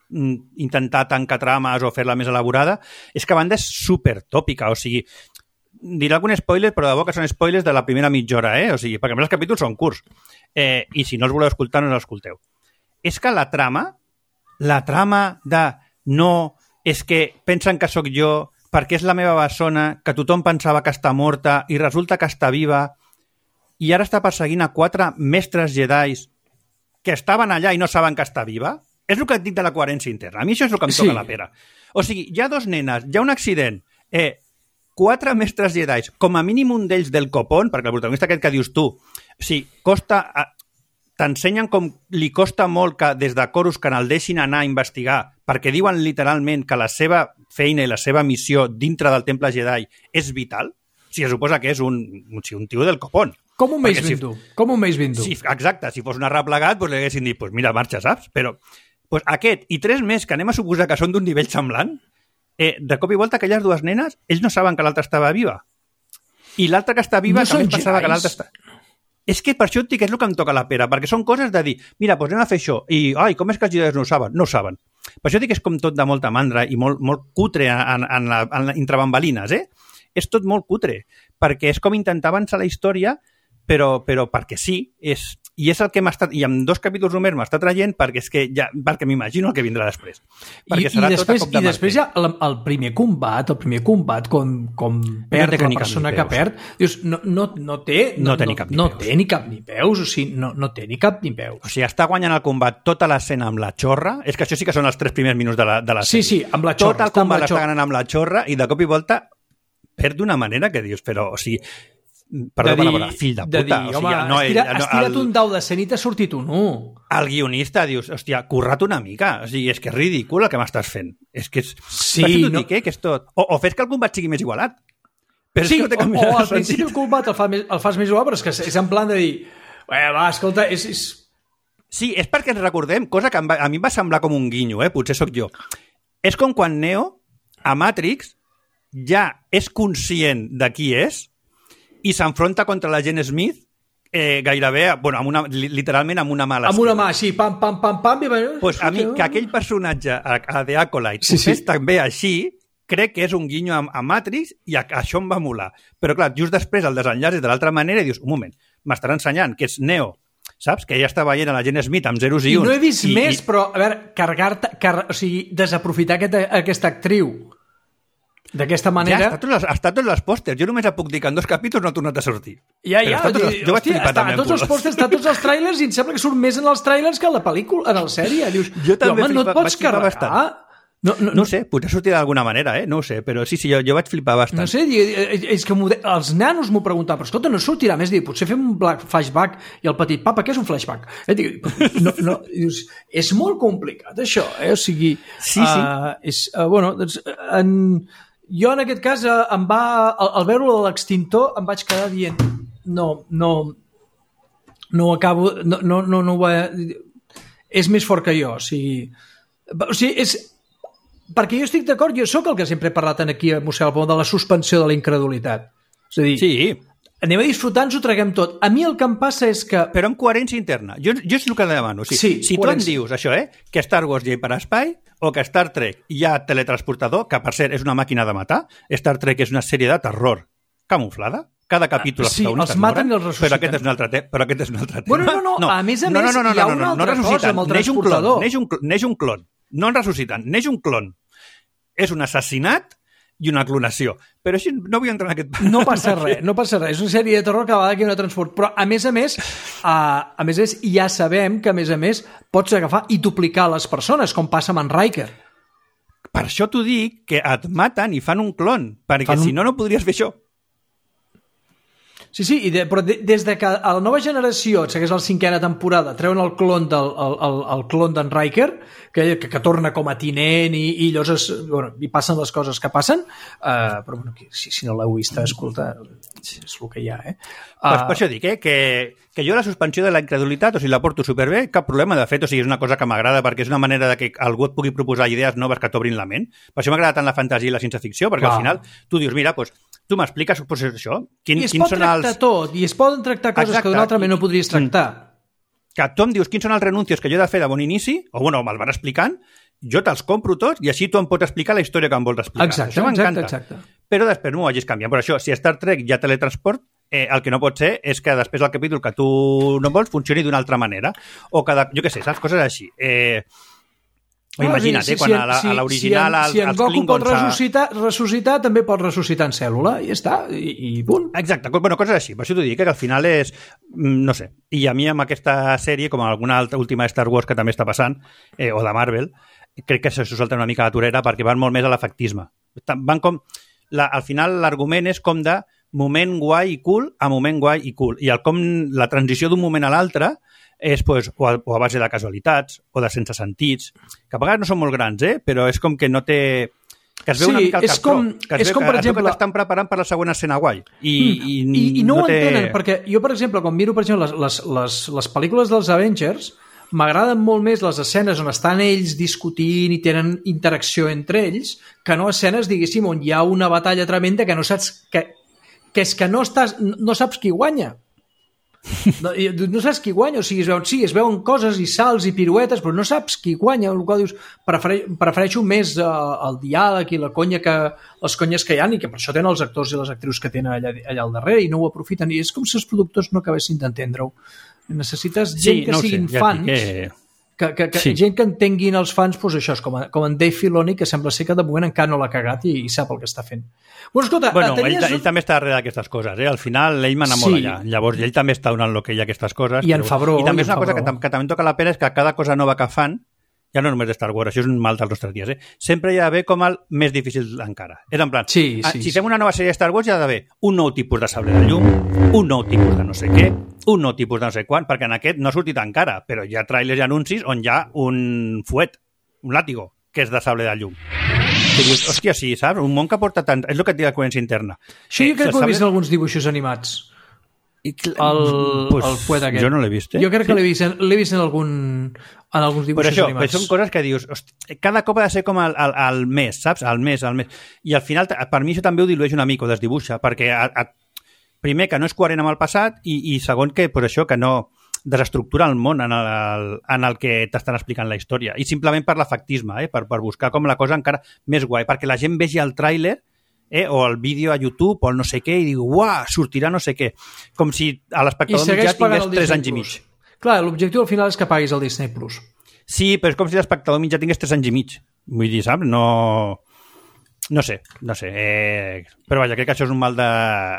mm, intentar tancar trames o fer-la més elaborada, és que a banda és super tòpica, o sigui, diré algun spoiler, però de bo que són spoilers de la primera mitja hora, eh? O sigui, perquè a més els capítols són curts, eh, i si no els voleu escoltar, no els escolteu. És que la trama, la trama de no, és que pensen que sóc jo, perquè és la meva bessona, que tothom pensava que està morta i resulta que està viva, i ara està perseguint a quatre mestres jedis que estaven allà i no saben que està viva? És el que et dic de la coherència interna. A mi això és el que em Sí. toca la pera. O sigui, hi ha dos nenes, hi ha un accident, eh, quatre mestres jedis, com a mínim un d'ells del copón, perquè el protagonista aquest que dius tu, o sigui, costa... t'ensenyen com li costa molt que des de Corus que el deixin anar a investigar, perquè diuen literalment que la seva feina i la seva missió dintre del Temple Jedi és vital, si es suposa que és un, un tio del copón. Com un Mace si, Windu. Com un Mace Windu. Si, exacte, si fos un arreplegat, doncs li haguessin dit, pues mira, marxa, saps? Però pues aquest i tres més que anem a suposar que són d'un nivell semblant, eh, de cop i volta aquelles dues nenes, ells no saben que l'altra estava viva. I l'altra que està viva, No també són pensava que Jedis? l'altra està... És que per això et dic que és el que em toca la pera, perquè són coses de dir, mira, doncs anem a fer això, i ai, com és que els Jedis no ho saben? No ho saben. Per això dic que és com tot de molta mandra i molt, molt cutre en, en la, en la, entre bambalines, eh? És tot molt cutre, perquè és com intentar avançar la història, però, però perquè sí, és, i és el que m'ha estat, i en dos capítols només m'està traient perquè és que ja, perquè m'imagino el que vindrà després. Perquè I, serà i després, tot a cop de i després ja el, el primer combat, el primer combat com, com perd té la ni cap persona ni que peus. perd, dius, no, no, no té No té ni cap ni no peus. té ni cap ni peus, o sigui, no, no té ni cap ni peus. O sigui, està guanyant el combat tota l'escena amb la xorra, és que això sí que són els tres primers minuts de la, de la Sí, sèrie. sí, amb la xorra. Tot el està amb combat la l'està xorra. ganant amb la xorra i de cop i volta perd d'una manera que dius, però, o sigui, perdó per la paraula, fill de puta. De dir, o sigui, home, no, estira, ell, no, estira't el, un dau de cent i t'ha sortit un u. El guionista dius, hòstia, curra't una mica. O sigui, és que és ridícul el que m'estàs fent. És que és... Sí, no... dic, eh, que és tot. O, o fes que el combat sigui més igualat. Però sí, és que no té o, o al principi el combat el, fa més, el fas més igual, però és que és en plan de dir, eh, va, escolta, és... és... Sí, és perquè ens recordem, cosa que em va, a mi em va semblar com un guinyo, eh? Potser sóc jo. És com quan Neo, a Matrix, ja és conscient de qui és i s'enfronta contra la Agent Smith eh, gairebé, bueno, amb una, literalment amb una mala amb una mà així, pam, pam, pam, pam... I... Pues a mi, que aquell personatge, a, a The Acolyte, sí, ho fes sí. també així, crec que és un guinyo a, a Matrix i a, a això em va molar. Però clar, just després el desenllaç és de l'altra manera i dius, un moment, m'estarà ensenyant que és Neo, saps? Que ella està veient a la Agent Smith amb zeros i uns. I no he vist i, més, i... però, a veure, carregar-te, car... o sigui, desaprofitar aquesta, aquesta actriu d'aquesta manera... Ja, està tots, els, està tots els pòsters. Jo només puc dir que en dos capítols no ha tornat a sortir. Ja, ja. Tots els, jo vaig hòstia, flipar està, també. Tots els pòsters, està tots els tràilers i em sembla que surt més en els tràilers que en la pel·lícula, en la sèrie. Dius, jo també home, flipa, no et pots carregar. Bastant. No, no, no ho sé, potser sortir d'alguna manera, eh? No ho sé, però sí, sí, jo, jo vaig flipar bastant. No sé, és que els nanos m'ho preguntaven, però escolta, no sortirà més, dir, potser fem un flashback i el petit, papa, què és un flashback? Eh, dic, no, no, dius, és molt complicat, això, eh? O sigui, sí, sí. Uh, és, uh, bueno, doncs, en, jo en aquest cas, uh, em va, al, al veure-ho de l'extintor, em vaig quedar dient, no, no, no ho acabo, no, no, no, no ho va... És més fort que jo, o sigui... O sigui, és... Perquè jo estic d'acord, jo sóc el que sempre he parlat aquí a Museu al Pont de la suspensió de la incredulitat. És a dir, sí. anem a disfrutar, ens ho traguem tot. A mi el que em passa és que... Però amb coherència interna. Jo, jo és el que demano. O sigui, sí, si coherència. Tu em dius això, eh, que Star Wars hi ha hiperespai o que Star Trek hi ha teletransportador, que per cert és una màquina de matar, Star Trek és una sèrie de terror camuflada, cada capítol sí, els maten i els ressusciten. Però aquest és un altre, te però aquest és un altre tema. Bueno, no, no, no, a més a més, no, no, no, no, hi ha una no, no, altra no cosa amb el transportador. Neix un, neix un clon. No en ressusciten, neix un clon. És un assassinat i una clonació. Però així no vull entrar en aquest... No passa res, no passa res. És una sèrie de terror que a vegades que hi ha una transport. Però, a més a més, a, a més a més, ja sabem que, a més a més, pots agafar i duplicar les persones, com passa amb en Riker. Per això t'ho dic, que et maten i fan un clon, perquè un... si no, no podries fer això. Sí, sí, i de, però de, des de que a la nova generació, segueix la cinquena temporada, treuen el clon del el, el, el clon d'en Riker, que, que, que torna com a tinent i, i llavors es, bueno, i passen les coses que passen, uh, però bueno, si, si no l'heu vist, escolta, és el que hi ha, eh? Uh, pues per això dic, eh, que, que jo la suspensió de la incredulitat, o sigui, la porto superbé, cap problema, de fet, o sigui, és una cosa que m'agrada perquè és una manera de que algú et pugui proposar idees noves que t'obrin la ment. Per això m'agrada tant la fantasia i la ciència-ficció, perquè clar. Al final tu dius, mira, doncs, tu m'expliques pues, això? Quin, I es pot tractar els... tot, i es poden tractar coses Exacte. Que d'una altra manera no podries tractar. Que tu em dius quins són els renuncios que jo he de fer de bon inici, o bueno, me'ls van explicant, jo te'ls compro tots i així tu em pots explicar la història que em vols explicar. Exacte, això exacte, exacte. Però després no ho hagis canviat. Per això, si a Star Trek hi ha teletransport, eh, el que no pot ser és que després del capítol que tu no vols funcioni d'una altra manera. O que, de, jo què sé, saps? Coses així. Eh... No, imagina't, si, eh, quan si, a l'original si, si, si en Goku Klingons pot ressuscitar, ressuscitar, també pot ressuscitar en cèl·lula, i ja està, i, i punt. Exacte, bueno, coses així, per això t'ho dic, que al final és, no sé, i a mi amb aquesta sèrie, com alguna altra última de Star Wars que també està passant, eh, o de Marvel, crec que se salta una mica la torera perquè van molt més a l'efectisme. Van com, la, al final l'argument és com de moment guai i cool a moment guai i cool, i el com la transició d'un moment a l'altre és pues, o, a, o a base de casualitats o de sense sentits, que a vegades no són molt grans, eh? Però és com que no té... que es veu sí, una mica el és com, que es és veu, com, per es exemple... veu que t'estan preparant per la segona escena guai. I, mm, i, i, i no, no ho té... entenen, perquè jo, per exemple, quan miro per exemple, les, les, les, les pel·lícules dels Avengers, m'agraden molt més les escenes on estan ells discutint i tenen interacció entre ells, que no escenes, diguéssim, on hi ha una batalla tremenda que no saps... que, que és que no, estàs, no saps qui guanya. No, no saps qui guanya, o sigui, es veuen, sí, es veuen coses i salts i piruetes, però no saps qui guanya, el qual dius, prefere, prefereixo més uh, el diàleg i la conya que, les conyes que hi ha, i que per això tenen els actors i les actrius que tenen allà, allà al darrere i no ho aprofiten, i és com si els productors no acabessin d'entendre-ho. Necessites gent sí, que no siguin sé, fans, ja que... que, que, que sí. gent que entenguin els fans, doncs això és com, a, com en Dave Filoni, que sembla ser que de moment encara no l'ha cagat i, i sap el que està fent. Bueno, escolta, bueno, tenies... ell, ell també està darrere d'aquestes coses, eh? Al final ell mana molt sí. allà, llavors ell també està donant el que hi ha aquestes coses. I en Favreau. I també és una cosa que, que també toca la pena és que cada cosa nova que fan ja no només de Star Wars, això és un mal dels nostres dies, eh? Sempre hi ha d'haver com el més difícil encara. És en plan, sí, sí, si sí. fem una nova sèrie de Star Wars hi ha d'haver un nou tipus de sable de llum, un nou tipus de no sé què, un nou tipus de no sé quan, perquè en aquest no ha sortit encara, però hi ha trailers i anuncis on hi ha un fuet, un làtigo, que és de sable de llum. Que dius, hòstia, sí, saps? Un món que porta tant... És el que et diu la coherència interna. Això jo Eh, crec que ho he sable- vist en alguns dibuixos animats. I cl- El, pues, el fuet aquest. Jo no l'he vist, eh? Jo crec que l'he vist, en- l'he vist en, algun, en alguns Per dibuixos això, animats. però són coses que dius, hosti, cada cop ha de ser com el, el, el mes, saps? El mes, el mes. I al final, per mi això també ho dilueix una mica, ho desdibuixa, perquè a, a, primer que no és coherent amb el passat i, i segon que, per això, que no desestructura el món en el, en el que t'estan explicant la història. I simplement per l'efectisme, eh? per, per buscar com la cosa encara més guai, perquè la gent vegi el tràiler eh? o el vídeo a YouTube o el no sé què i diu, uah, sortirà no sé què. Com si a l'espectador mitjà tingués tres anys i mig. Clar, l'objectiu al final és que paguis el Disney Plus. Sí, però és com si l'espectador mitjà tingués tres anys i mig. Vull dir, saps? No... No sé, no sé. Eh... Però vaja, crec que això és un mal de,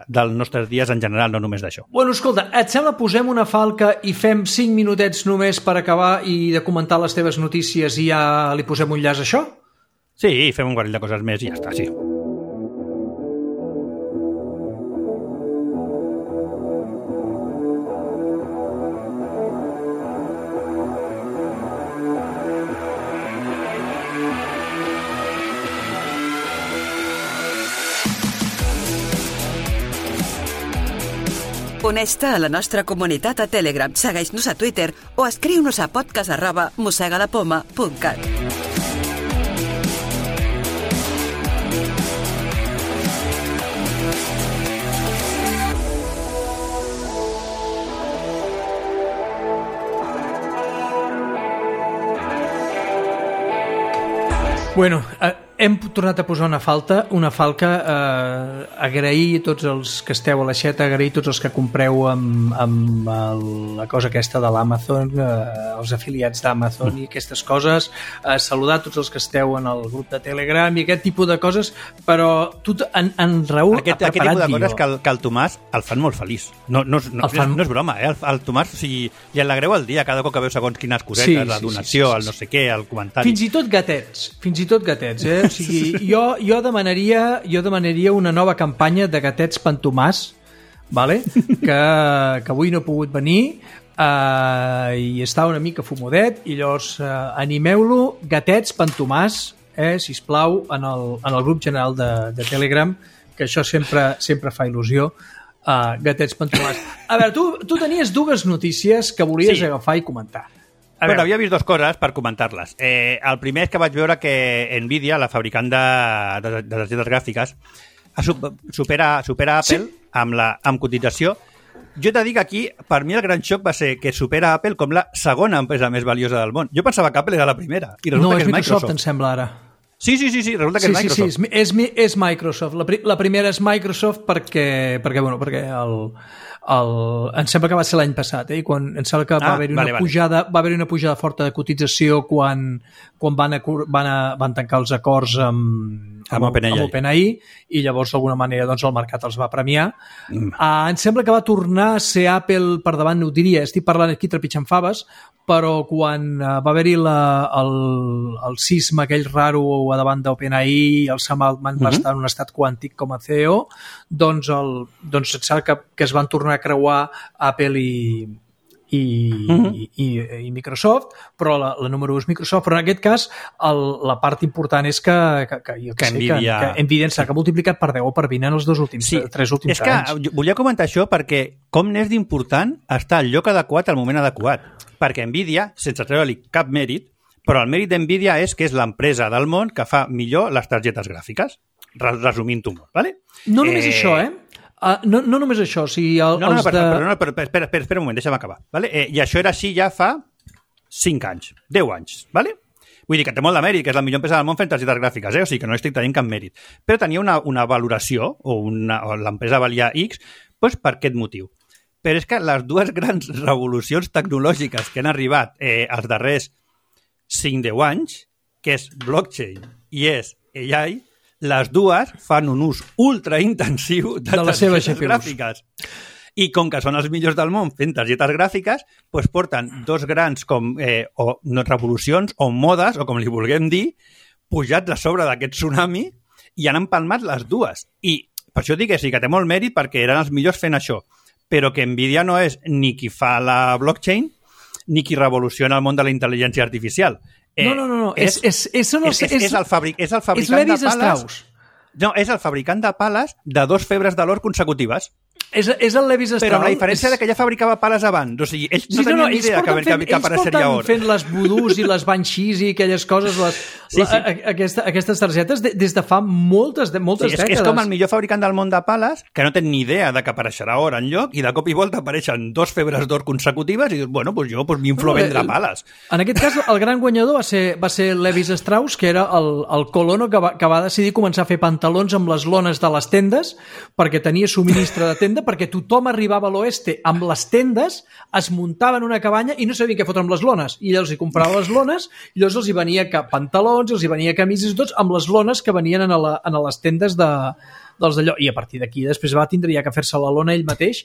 dels nostres dies en general, no només d'això. Bueno, escolta, et sembla posem una falca i fem cinc minutets només per acabar i de comentar les teves notícies i ja li posem un llaç a això? Sí, fem un parell de coses més i ja està, sí. Uneix-te a la nostra comunitat a Telegram, segueix-nos a Twitter o escriu-nos a podcast arroba mossegalapoma punt cat. Bueno, eh, hem tornat a posar una falta, una falca, eh, agrair a tots els que esteu a l'aixeta, agrair a tots els que compreu amb, amb el, la cosa aquesta de l'Amazon, eh, els afiliats d'Amazon i aquestes coses, eh, saludar tots els que esteu en el grup de Telegram i aquest tipus de coses, però tu, en, en Raül Aquest, ha aquest preparat tipus de coses guió. que el, que el Tomàs el fan molt feliç. No, no, no, El fan- no, no és broma, eh? El, el Tomàs, o sigui, li alegreu el dia cada cop que veu segons quines cosetes, Sí, la sí, donació, sí, sí, sí. el no sé què, el comentari. Fins i tot gatets, fins i tot gatets, eh? O sigui, jo, jo, demanaria, jo demanaria una nova campanya de gatets Pantomàs, vale? que, que avui no ha pogut venir eh, i està una mica fumodet i llavors eh, animeu-lo, gatets Pantomàs, eh, sisplau, en el, en el grup general de, de Telegram, que això sempre, sempre fa il·lusió. Uh, gatets Pantomàs. A veure, tu, tu tenies dues notícies que volies Sí. agafar i comentar. A Bueno, veure, havia vist dues coses per comentar-les. Eh, el primer és que vaig veure que Nvidia, la fabricant de, de, de targetes gràfiques, ha sup- supera, supera Apple Sí. amb, la, amb cotització. Jo t'he dit que aquí, per mi el gran xoc va ser que supera Apple com la segona empresa més valiosa del món. Jo pensava que Apple era la primera, i resulta no, que és és Microsoft, Microsoft. em sembla ara. Sí, sí, sí, sí, resulta que Sí, és sí, Microsoft. sí, és, és, és Microsoft. La, pri, la primera és Microsoft perquè, perquè, bueno, perquè el, el, em sembla que va ser l'any passat, eh? I quan, em sembla que va Ah, haver una vale, vale. pujada, va haver una pujada forta de cotització quan, quan van, acor, van, a, van tancar els acords amb, Amb OpenAI. amb OpenAI i llavors d'alguna manera doncs, el mercat els va premiar. Mm. Uh, em sembla que va tornar a ser Apple per davant, no ho diria, estic parlant aquí trepitjant faves, però quan uh, va haver-hi la- el, el sisme aquell raro a davant d'OpenAI, el Sam Altman va Mhm. estar en un estat quàntic com a C E O, doncs, el, doncs et sap que, que es van tornar a creuar Apple i, i, Mhm. i, i, i Microsoft, però la, la número u és Microsoft, però en aquest cas el, la part important és que, que, que, jo Que sé, Nvidia- que, que Nvidia s'ha multiplicat per deu o per vint en els dos últims, Sí, tres últims és que anys. jo volia comentar això perquè com n'és d'important està al lloc adequat al moment adequat. Perquè Nvidia, sense treure-li cap mèrit, però el mèrit d'Nvidia és que és l'empresa del món que fa millor les targetes gràfiques. Re- Resumint-ho molt, ¿vale? No només Eh, això, eh? Uh, no, no només això, o sigui, el, No, no, no, els però, de... però, no, però, però espera, espera, espera un moment, deixa'm acabar. Vale? Eh, I això era així ja fa cinc anys, deu anys, ¿vale? Vull dir que té molt de mèrit, que és la millor empresa del món fent targetes gràfiques, eh? O sigui que no estic tenint cap mèrit. Però tenia una, una valoració, o, una, o l'empresa valia X, doncs per aquest motiu. Però és que les dues grans revolucions tecnològiques que han arribat eh, els darrers cinc deu anys, que és blockchain i és A I, les dues fan un ús ultra intensiu de, De la seva targetes G P Us. gràfiques. I com que són els millors del món fent targetes gràfiques, doncs porten dos grans com, eh, o no, revolucions o modes, o com li vulguem dir, pujats a sobre d'aquest tsunami i han empalmat les dues. I per això dic que sí, que té molt mèrit perquè eren els millors fent això. Però que Nvidia no és ni qui fa la blockchain ni qui revoluciona el món de la intel·ligència artificial. Eh, no, no, no. no. És, és, és, és, és, és, és el, fabric, és el fabricant és de pales... Strauss. No, és el fabricant de pales de dos febres de l'or consecutives. És, és el Levi Strauss. Però amb la diferència és... que ja fabricava pales abans. O sigui, ells no sí, tenien no, no, idea que, fent, que, que apareixeria or. Ells porten fent les voodoos i les banshees i aquelles coses, les, sí, sí. La, aquesta, aquestes targetes de, des de fa moltes, de, moltes sí, és, dècades. És com el millor fabricant del món de pales que no té ni idea de que apareixerà or enlloc i de cop i volta apareixen dos febres d'or consecutives i dius, bueno, pues jo pues, m'inflo no, a vendre pales. En aquest cas, el gran guanyador va ser, va ser Levi Strauss, que era el, el colono que va, que va decidir començar a fer pantalons amb les lones de les tendes perquè tenia subministre de tenda, perquè tothom arribava a l'oeste amb les tendes, es muntava en una cabanya i no sabien què fotre amb les lones. I llavors hi comprava les lones, i llavors els hi venia pantalons, els hi venia camises i tots, amb les lones que venien a, la, a les tendes de, dels d'allò. I a partir d'aquí després va tindria que fer-se la lona ell mateix,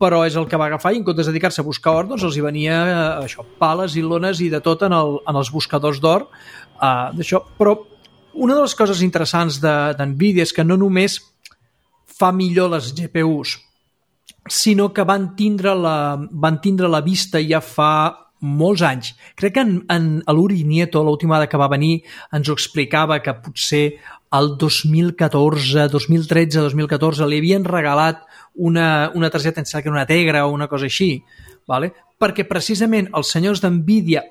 però és el que va agafar i en comptes de dedicar-se a buscar or, doncs els hi venia eh, això, pales i lones i de tot en, el, en els buscadors d'or. Uh, d'això. Però una de les coses interessants d'Nvidia és que no només fa millor les G P Us, sinó que van tindre la, van tindre la vista ja fa molts anys. Crec que en, en l'Uri Nieto, l'última vegada que va venir, ens ho explicava que potser el dos mil catorze, dos mil tretze, dos mil catorze li havien regalat una, una targeta, em sembla que era una Tegra o una cosa així, vale? Perquè precisament els senyors d'Nvidia,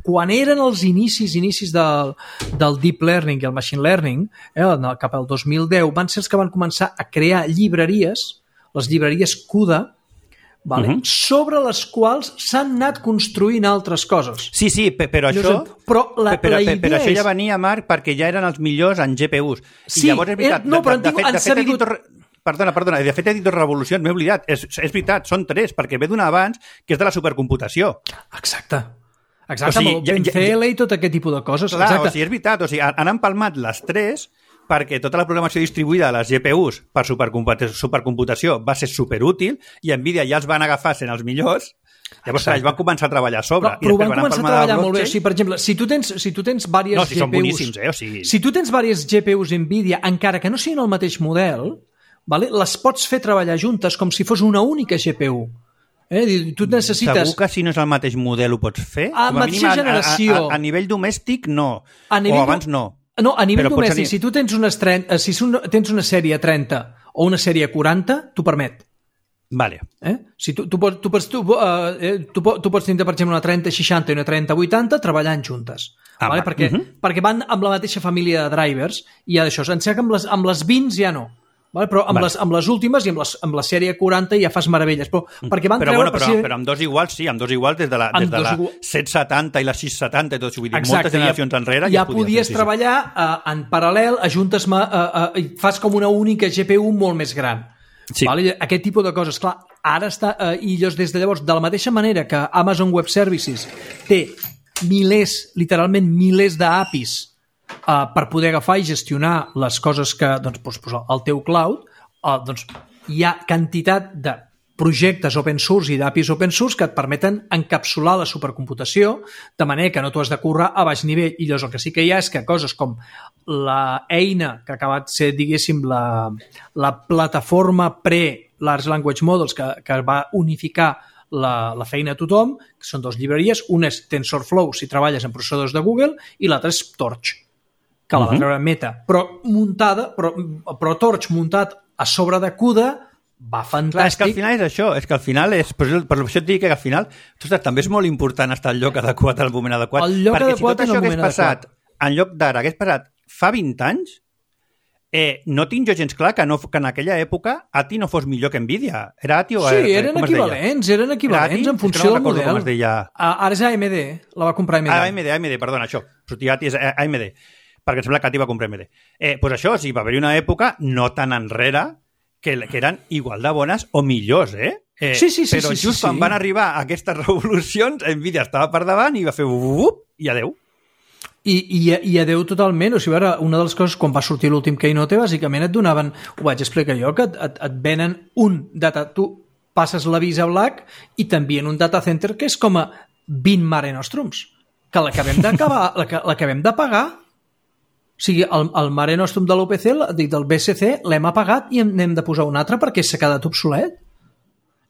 quan eren els inicis inicis del, del Deep Learning i el Machine Learning, eh, cap al dos mil deu, van ser els que van començar a crear llibreries, les llibreries CUDA, vale? Uh-huh. Sobre les quals s'han anat construint altres coses. Sí, sí, però això... Però la, però, la idea però això és... ja venia, Marc, perquè ja eren els millors en G P Us. Sí, I llavors és veritat... Eh, no, però de, de, de, fet, de fet, sabigut... dit... Perdona, perdona, de fet he dit dos revolucions, m'he oblidat. És, és veritat, són tres, perquè ve d'una abans, que és de la supercomputació. Exacte. Exacte, o sigui, amb el P N C L i tot aquest tipus de coses. Clar, exacte. O sigui, és veritat, o sigui, han empalmat les tres perquè tota la programació distribuïda de les G P Us per supercomputació va ser superútil i Nvidia ja els van agafar sent els millors. Llavors, clar, ells van començar a treballar a sobre. Però, però van, van començar a treballar molt bé. O sigui, per exemple, si tu tens, si tu tens diverses no, si G P Us... són boníssims, eh? O sigui... Si tu tens diverses G P Us Nvidia, encara que no siguin el mateix model, vale? Les pots fer treballar juntes com si fos una única G P U. Eh? Tu necessites... Segur que si no és el mateix model ho pots fer? A, a mateixa generació. A, a, a nivell domèstic, no. A nivell o abans no. No, a nivell però domèstic, si tu tens, unes trenta, si tens una sèrie trenta o una sèrie quaranta, t'ho permet. Vale. Eh? Si tu, tu, pots, tu, pots, tu, uh, eh, tu, tu pots tenir, per exemple, una trenta seixanta i una trenta vuitanta treballant juntes. Ah, vale? Perquè, uh -huh. perquè van amb la mateixa família de drivers i ja d'això. Em sembla que amb les, amb les vint ja no. Vale? Però amb, vale. les, amb les últimes i amb, les, amb la sèrie quaranta ja fas meravelles. Però, perquè van però, treure, bueno, però, per si... però amb dos iguals, sí, amb dos iguals des de la, des de la igual... set setanta i la sis setanta i tot, vull dir, exacte, moltes generacions ja, enrere ja, ja podies fer, treballar sí, sí. Uh, en paral·lel, ajuntes uh, uh, i fas com una única G P U molt més gran. Sí. Vale? Aquest tipus de coses, clar, ara està, uh, i llavors, des de llavors, de la mateixa manera que Amazon Web Services té milers, literalment milers d'A P Is uh, per poder agafar i gestionar les coses que, doncs, doncs, doncs el teu cloud, uh, doncs hi ha quantitat de projectes open source i d'A P Is open source que et permeten encapsular la supercomputació de manera que no t'ho has de currar a baix nivell. I llavors el que sí que hi ha és que coses com la eina que ha acabat ser, diguéssim, la, la plataforma pre-Large Language Models que, que va unificar la, la feina a tothom, que són dues llibreries, una és TensorFlow si treballes en processadors de Google i l'altra és Torch, que la va treure Meta, però muntada, però, però Torch muntat a sobre de CUDA va fantàstic. Clar, és que al final és això, és que al final és, per això et dic que al final ostres, també és molt important estar al lloc adequat al moment adequat. El lloc perquè adequat si tot això hagués passat adequat. En lloc d'ara hagués passat fa vint anys, eh, no tinc jo gens clar que, no, que en aquella època A T I no fos millor que Nvidia. Era A T I o... Sí, eren equivalents, eren equivalents en funció no del model. Com es deia. Ara és A M D, la va comprar A M D. Ah, A M D, A M D, perdona, això. Sortia A T I és A M D, perquè em sembla que A T I va comprar A M D. Eh, doncs això, sí, va haver-hi una època no tan enrere que, que eren igual de bones o millors, eh? eh sí, sí, sí. Però sí, just sí, quan sí. van arribar aquestes revolucions, Nvidia estava per davant i va fer up i adeu. I, i, i adeu totalment. O sigui, ara, una de les coses, quan va sortir l'últim Keynote, bàsicament et donaven, ho vaig explicar jo, que et, et, et venen un data... Tu passes l'avís a Black i t'envien un data center que és com a vint Mare Nostrums, que l'acabem d'acabar, l'acabem de pagar. O sigui, el, el Mare Nostrum de l'U P C, dic, del B S C, l'hem apagat i n'hem de posar un altre perquè s'ha quedat obsolet.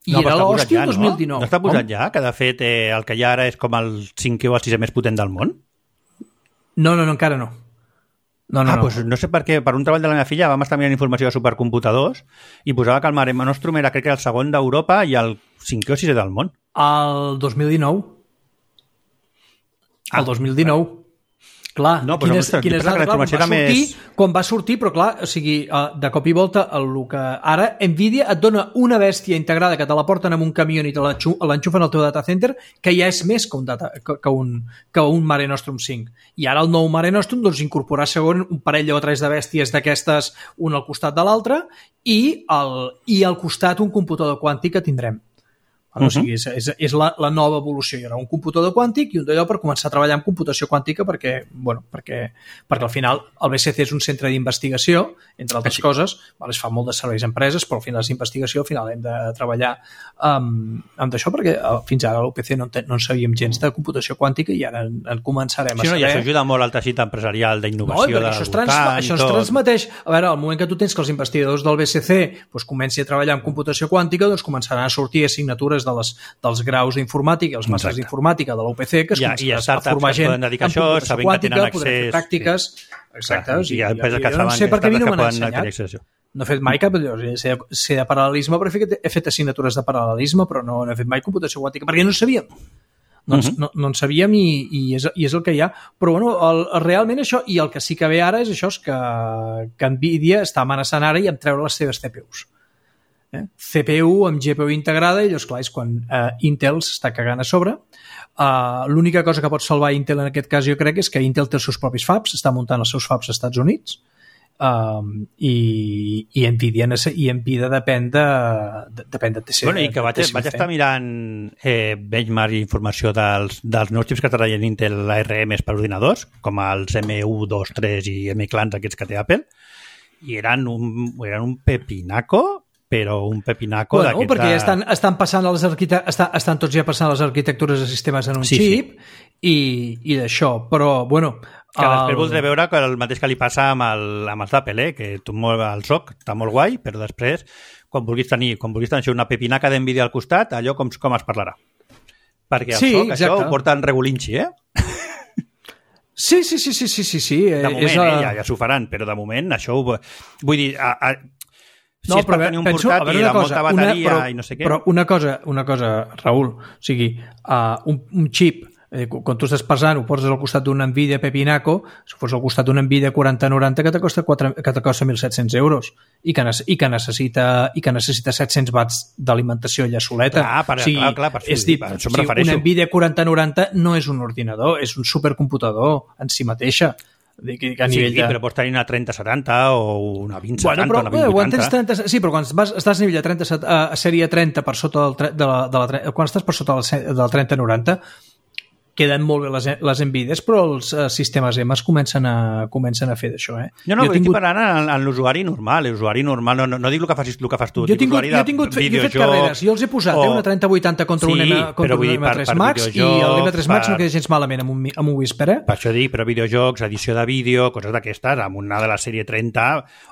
I no, era l'hòstia ja, el dos mil dinou. No, no està posat ja? Que de fet eh, el que hi ha ara és com el cinquè o el sisè més potent del món? No, no, no, encara no. No, no, ah, no. Pues no sé per què. Per un treball de la meva filla vam estar mirant informació de supercomputadors i posava que el Mare Nostrum era, crec que el segon d'Europa i el cinquè o sisè del món. El dos mil dinou. El dos mil dinou. Clar, no, quines, però quines dades, clar, va sortir, més... quan va sortir, però clar, o sigui, de cop i volta el que ara Nvidia et dona una bèstia integrada que te la porten amb un camió i te l'enxufen al teu data center, que ja és més que un, data, que un, que un Mare Nostrum cinc. I ara el nou Mare Nostrum doncs, incorporar segon un parell o tres de bèsties d'aquestes, un al costat de l'altre, i, el, i al costat un computador quàntic que tindrem. Bueno, uh-huh. O sigui, és, és, és la, la nova evolució. Hi haurà un computador quàntic i un d'allò per començar a treballar en computació quàntica perquè, bueno, perquè, perquè al final el B C C és un centre d'investigació, entre altres Així. coses, vale, es fa molt de serveis a empreses, però al final és investigació, al final hem de treballar amb, amb d'això perquè fins ara a l'U P C no, no en sabíem gens de computació quàntica i ara en, en començarem sí, a saber. Sí, no, i això ajuda molt al teixit empresarial d'innovació. No, això, es trans, això es transmeteix. A veure, al moment que tu tens que els investigadors del B C C doncs, comenci a treballar en computació quàntica, doncs començaran a sortir assignatures de les, dels graus d'informàtica i els màsters d'informàtica de l'U P C que es ja, començarà a formar gent en computació quàntica, podrem fer pràctiques. Sí. Exacte. O sigui, hi ha empreses que jo no sé per què a mi no m'han ensenyat. Accés. No he fet mai cap... Sé, sé de paral·lelisme, però he fet, he fet assignatures de paral·lelisme, però no, no he fet mai computació quàntica, perquè no sabíem. No, uh-huh. no, no en sabíem i, i, és, i és el que hi ha. Però bueno, el, realment això, i el que sí que ve ara és això, és que, que Nvidia està amenaçant ara i em treure les seves C P Us. Eh? C P U amb G P U integrada i llavors, clar, és quan eh, Intel s'està cagant a sobre. Uh, l'única cosa que pot salvar Intel en aquest cas jo crec és que Intel té els seus propis fabs, està muntant els seus fabs als Estats Units um, i, i Nvidia, i Nvidia depèn de, de, depèn de T C. Bueno, i que vaig, vaig estar mirant eh, benchmark i informació dels, dels nous xips que treballen Intel A R Ms per ordinadors, com els M u dos tres i M-Clans aquests que té Apple, i eren un, eren un pepinaco però un pepinaco bueno, perquè ja estan, estan passant a les arquitectures, estan, estan tots ja passant a les arquitectures de sistemes en un sí, xip sí. i, i d'això, però bueno... Que el... després voldré veure que el mateix que li passa amb, el, amb els d'Apple, eh? Que tu molt el S O C està molt guai, però després, quan vulguis tenir, quan vulguis tenir una pepinaca d'Nvidia al costat, allò com, com es parlarà. Perquè el sí, S O C, exacte. Això ho porta en regulinxi, eh? Sí, sí, sí, sí, sí, sí, sí. De moment, és a... a... eh, ja, ja s'ho faran, però de moment això ho... Vull dir, a, a... si no, és per tenir un penso, portàtil amb molta bateria una, però, i no sé què... Però una cosa, una cosa Raül, o sigui, uh, un, un xip, eh, quan tu estàs pesant, ho poses al costat d'un Nvidia Pepinaco, si fos al costat d'un Nvidia quaranta noranta que te costa, que te costa mil set-cents euros i que, i que necessita i que necessita set-cents watts d'alimentació allà soleta. Ah, per, o sigui, clar, clar, per és dir, per això o sigui, un Nvidia quaranta noranta no és un ordinador, és un supercomputador en si mateixa. Que a nivell sí, de... però pots tenir una trenta setanta o una vint setanta, bueno, però, una vint vuitanta. trenta, sí, però quan vas, estàs a nivell de trenta, a sèrie trenta per sota del, de la, de la, quan estàs per sota del trenta noranta queden molt bé les, les Nvidies, però els uh, sistemes M es comencen a, comencen a fer d'això. Eh? No, no, jo estic tingut... parlant en, en l'usuari normal. L'usuari normal, no, no, no dic el que facis, el que fas tu. Jo he tingut, jo he tingut jo he fet carreres, jo els he posat o... eh, una trenta vuitanta contra sí, un M, contra un M tres Max i l'M tres Max per... no queda gens malament amb un, amb un Whisper. Eh? Per això dic, però videojocs, edició de vídeo, coses d'aquestes, amb una de la sèrie trenta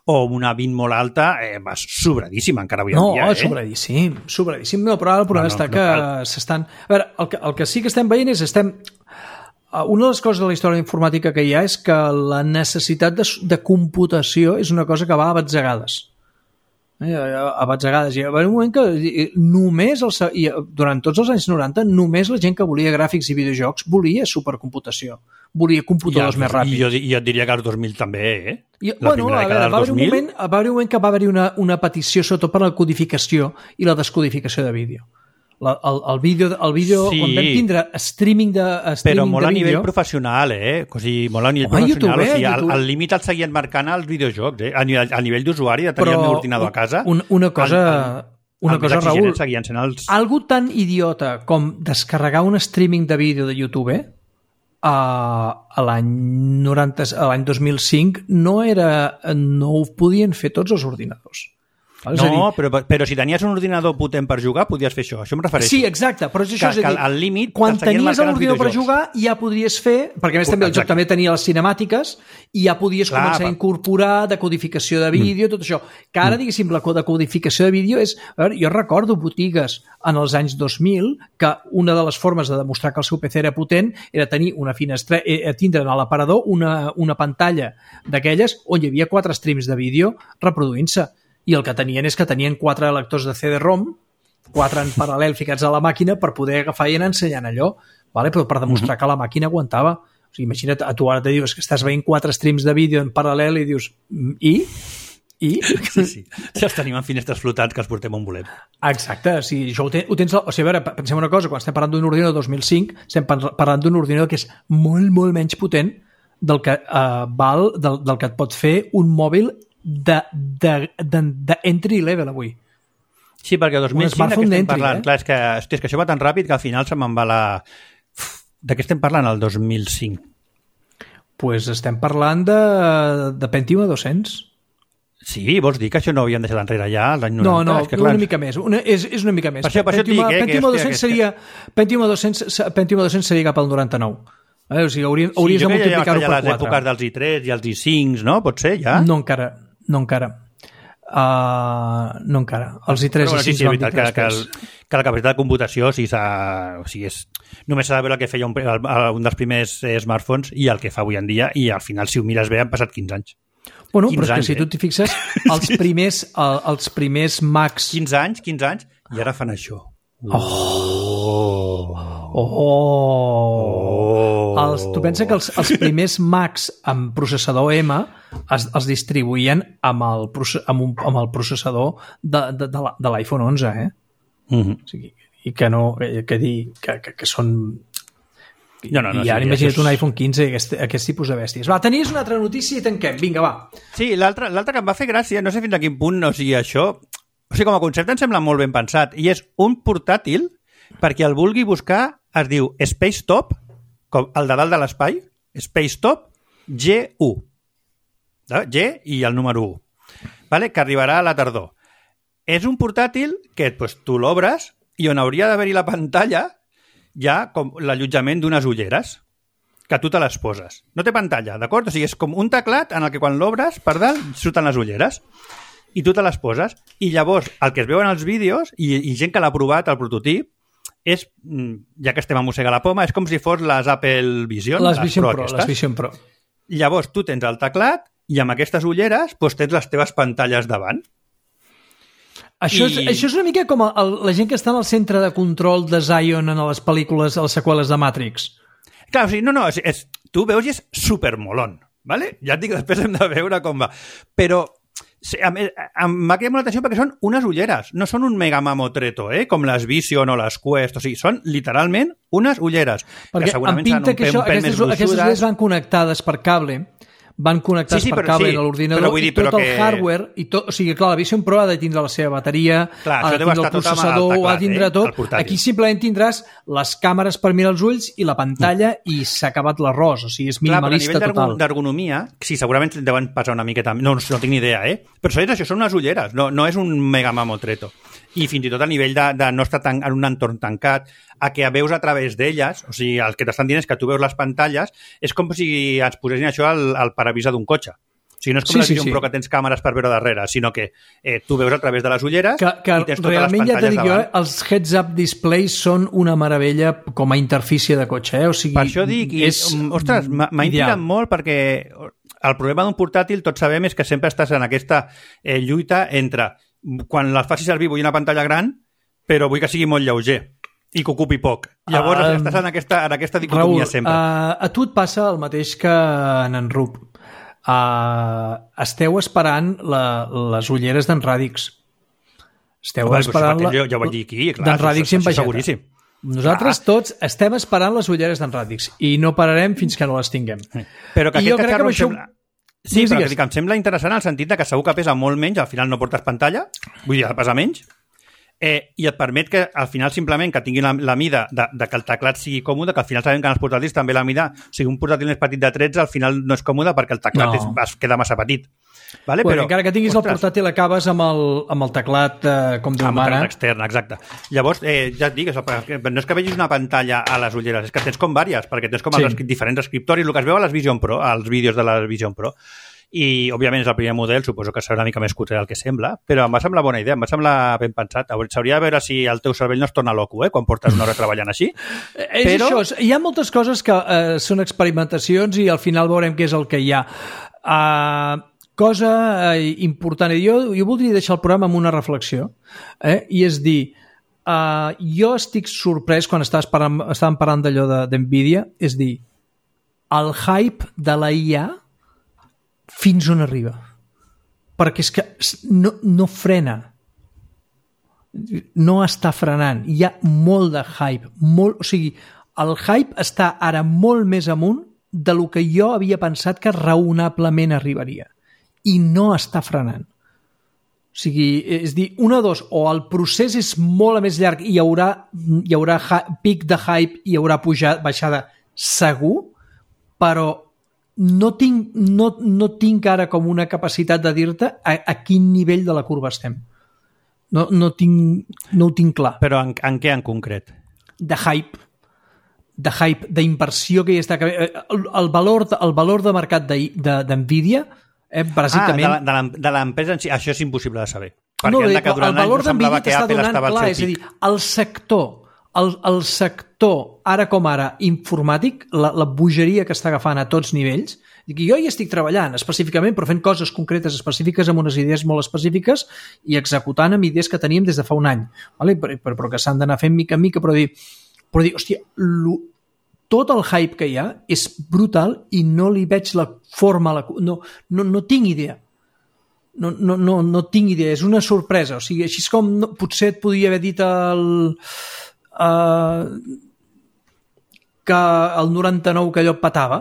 o una vint molt alta, eh, vas sobradíssim encara avui en no, dia. No, eh? sobradíssim, sobradíssim. No, però ara el problema no, no, està no que s'estan... A veure, el que, el que sí que estem veient és estem... Una de les coses de la història informàtica que hi ha és que la necessitat de, de computació és una cosa que va a batzegades. Eh, a batzegades. Hi va haver un moment que només, el, i durant tots els anys noranta, només la gent que volia gràfics i videojocs volia supercomputació. Volia computadors ja, més ràpids. I jo, jo et diria que als dos mil també, eh? I, bueno, a veure, va haver un moment, va haver un moment que va haver una, una petició sobretot per la codificació i la descodificació de vídeo. La, el, el vídeo, el vídeo sí, quan vam tindre streaming de streaming però molt de a nivell vídeo, professional, eh? O sigui, molt a nivell Home, professional. YouTube, o sigui, YouTube. el límit el seguien marcant els videojocs, eh? A nivell, a nivell d'usuari, de tenir però el meu ordinador a casa. Un, una cosa, el, el, una el cosa Raül, seguien sent els... algo tan idiota com descarregar un streaming de vídeo de YouTube eh? a, a l'any noranta, a l'any dos mil cinc no era, no ho podien fer tots els ordinadors. Val? No, dir, però, però si tenies un ordinador potent per jugar, podies fer això. Això em refereixo. Sí, exacte, però és això, que, és a dir, que al límit quan tenies l'ordinador per jugar ja podries fer, perquè a més també el Exacte. joc també tenia les cinemàtiques i ja podies Clar, començar per... a incorporar decodificació de vídeo, mm. tot això. Que ara, mm. diguéssim, la decodificació de vídeo és... A veure, jo recordo botigues en els anys dos mil que una de les formes de demostrar que el seu P C era potent era tenir una finestra, eh, tindre a l'aparador una, una pantalla d'aquelles on hi havia quatre streams de vídeo reproduint-se. I el que tenien és que tenien quatre lectors de C D ROM, quatre en paral·lel ficats a la màquina per poder agafar i anar ensenyant allò, vale? Però per demostrar uh-huh. que la màquina aguantava. O sigui, imagina't, a tu ara te dius que estàs veient quatre streams de vídeo en paral·lel i dius, i? I? Sí, sí. Ja els tenim en finestres flotants que els portem on volem. Exacte, o sigui, això ho, ten, ho tens... O sigui, a veure, pensem una cosa, quan estem parlant d'un ordinador dos mil cinc, estem parlant d'un ordinador que és molt, molt menys potent del que uh, val, del, del que et pot fer un mòbil de, de, de, de entry level avui. Sí, perquè el dos mil cinc de què estem parlant? Eh? Clar, és que, hosti, és que això va tan ràpid que al final se me'n va la... De què estem parlant el dos mil cinc? Pues estem parlant de, de Pentium a dos-cents. Sí, vols dir que això no ho havien deixat enrere ja l'any noranta? No, no, és que, clar, una mica més. Una, és, és una mica més. Per això, per això Pentium, et dic, eh, Pentium, que, a dos-cents seria, Pentium, a dos-cents, Pentium a dos-cents seria cap al noranta-nou. Eh? O sigui, hauries, sí, hauries de multiplicar-ho ja per les quatre. èpoques dels i tres i els i cinc, no? Pot ser, ja? No encara, no encara. Uh, no encara. Els i tres bueno, i cinc sí, sí, van veritat, que, que, el, que la capacitat de computació sí, o sigui, és, només s'ha de veure el que feia un, el, un dels primers eh, smartphones i el que fa avui en dia, i al final, si ho mires bé, han passat quinze anys. Bueno, però és que anys, si tu t'hi fixes, els primers, el, els primers Macs... quinze anys, quinze anys, i ara fan això. Oh! Oh! oh. Els, tu pensa que els, els primers Macs amb processador M es, els distribuïen amb el, amb un, amb el processador de, de, de, de l'iPhone onze, eh? Mm-hmm. O sigui, i que no... Que, dir, que, que, que són... No, no, no, I ara sí, imagina't és... un iPhone quinze i aquest, aquest tipus de bèsties. Va, tenies una altra notícia i tanquem. Vinga, va. Sí, l'altra que em va fer gràcia, no sé fins a quin punt, o sigui, això... O sigui, com a concepte em sembla molt ben pensat, i és un portàtil, perquè el vulgui buscar, es diu Spacetop, com el de dalt de l'espai, Spacetop G u. G i el número u. Vale? Que arribarà a la tardor. És un portàtil que pues, tu l'obres i on hauria d'haver-hi la pantalla hi ha com l'allotjament d'unes ulleres que tu te les poses. No té pantalla, d'acord? O sigui, és com un teclat en el que quan l'obres, per dalt, surten les ulleres i tu te les poses. I llavors, el que es veu en els vídeos, i, i gent que l'ha provat, el prototip, és, ja que estem a mossegar la poma, és com si fos les Apple Vision. Les Vision Pro, Pro, les Vision Pro. Llavors, tu tens el teclat i amb aquestes ulleres doncs, tens les teves pantalles davant. Això, I... és, això és una mica com el, la gent que està en el centre de control de Zion en les pel·lícules, a les seqüeles de Matrix. Clar, o sigui, no, no, és, és, tu veus i és supermolón, ¿vale? Ja et dic, després hem de veure com va. Però m'ha quedat molt l'atenció perquè són unes ulleres, no són un mega mamotreto, eh? Com les Vision o les Quest, o sigui, són literalment unes ulleres. Perquè que em pinta que això, aquestes, aquestes ulleres van connectades per cable, van connectats sí, sí, per cable sí, a l'ordinador i tot el que... hardware, i tot, o sigui, clar, la Vision Pro ha de tindre la seva bateria, clar, ha de tindre el processador, teclat, ha de tindre tot. Eh? Aquí simplement tindràs les càmeres per mirar els ulls i la pantalla mm. i s'ha acabat l'arròs, o sigui, és minimalista clar, total. A nivell d'ergonomia, sí, segurament deuen passar una miqueta, no, no tinc ni idea, eh? Però és això, són unes ulleres, no, no és un mega mamotreto. I fins i tot a nivell de, de no estar tan, en un entorn tancat, a que veus a través d'elles, o sigui, el que t'estan dient és que tu veus les pantalles, és com si ens posessin això al, al paravisa d'un cotxe. O sigui, no és com sí, la Vision sí, sí. Pro que tens càmeres per veure darrere, sinó que eh, tu veus a través de les ulleres que, que i tens totes realment les pantalles ja t'he dit davant. Jo, els heads-up displays són una meravella com a interfície de cotxe, eh? O sigui, per això dic, i, és ostres, m'ha intrigat molt perquè el problema d'un portàtil, tots sabem, és que sempre estàs en aquesta eh, lluita entre quan les facis servir vull una pantalla gran, però vull que sigui molt lleuger i que ocupi poc. Llavors uh, estàs en aquesta, en aquesta dicotomia Raül, sempre. Uh, a tu et passa el mateix que en en Rup. Uh, esteu esperant la, les ulleres d'en Radix. Esteu Home, esperant... La, jo, jo ho vaig dir aquí, clar. D'en Radix i en Vegeta. Seguríssim. Nosaltres ah. tots estem esperant les ulleres d'en Radix i no pararem fins que no les tinguem. Però que I aquest cacharro em això... sembla... Sí, però que em sembla interessant el sentit de que segur que pesa molt menys, al final no portes pantalla, vull dir, pesa menys, eh, i et permet que al final simplement que tingui la, la mida de, de que el teclat sigui còmode, que al final sabem que en els portàtils també la mida, o sigui, un portàtil més petit de tretze al final no és còmode perquè el teclat no. és, es queda massa petit. Vale, bueno, però, encara que tinguis ostres, el portàtil acabes amb el, amb el teclat eh, com Déu mana. Amb el teclat extern, exacte. Llavors, eh, ja et dic, no és que vegis una pantalla a les ulleres, és que tens com vàries, perquè tens com sí. els diferents escriptoris, el que es veu a les Vision Pro, als vídeos de la Vision Pro. I, òbviament, és el primer model, suposo que serà una mica més cutre del que sembla, però em va semblar bona idea, em va semblar ben pensat. S'hauria de veure si el teu cervell no es torna loco, eh, quan portes una hora treballant així. És però... això, hi ha moltes coses que eh, són experimentacions i al final veurem què és el que hi ha. Uh, cosa eh, important, jo, jo voldria deixar el programa amb una reflexió, eh, i és dir, uh, jo estic sorprès quan estàs parlant, estàvem parlant d'allò de, d'Nvidia, és dir, el hype de la I A fins on arriba, perquè és que no, no frena, no està frenant, hi ha molt de hype, molt, o sigui, el hype està ara molt més amunt de lo que jo havia pensat que raonablement arribaria, i no està frenant. O sigui, és dir, una o dos, o el procés és molt més llarg i hi haurà, hi haurà pic de hype i hi haurà pujada, baixada segur, però no tinc, no, no tinc ara com una capacitat de dir-te a, a quin nivell de la curva estem. No, no, tinc, no ho tinc clar. Però en, en què en concret? De hype. De hype, d'inversió que hi està... El, el, valor, el valor de mercat de, de, d'Nvidia, eh, bàsicament... Ah, de l'empresa en si, això és impossible de saber. Perquè no, el, el valor d'Nvidia t'està donant clar, és a dir, el sector El, el sector, ara com ara, informàtic, la, la bogeria que està agafant a tots nivells, dic, jo hi estic treballant específicament, però fent coses concretes específiques amb unes idees molt específiques i executant amb idees que teníem des de fa un any, vale? però, però que s'han d'anar fent mica en mica, però dir, però dir hòstia, lo, tot el hype que hi ha és brutal i no li veig la forma, la, no, no, no tinc idea. No, no, no, no tinc idea, és una sorpresa. O sigui, així és com no, potser et podia haver dit el... Uh, que el noranta-nou que allò petava,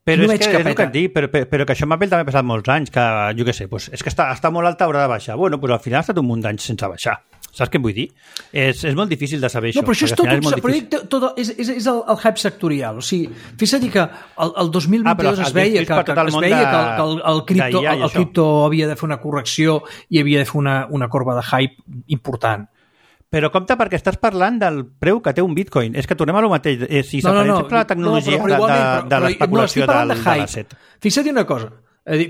però no és que, que és el que et dic, però, però, però que això m'ha també ha passat molts anys, que jo què sé, doncs, és que està, està molt alta, haurà de baixar. Bueno, doncs al final ha estat un munt d'anys sense baixar. Saps què em vull dir? És, és molt difícil de saber no, això. Però això és tot, és, un, però tot, tot, és, és, és el, el hype sectorial. O sigui, fixa't que el, el dos mil vint-i-dos ah, es veia, que, que, es veia de, que, el, que el, el, cripto, el, el cripto havia de fer una correcció i havia de fer una, una corba de hype important. Però compte perquè estàs parlant del preu que té un bitcoin. És que tornem a lo mateix. Eh, si s'apareix no, no, no, sempre la tecnologia no, però, però de, de, de l'especulació no, del, de l'asset. Fixa't una cosa.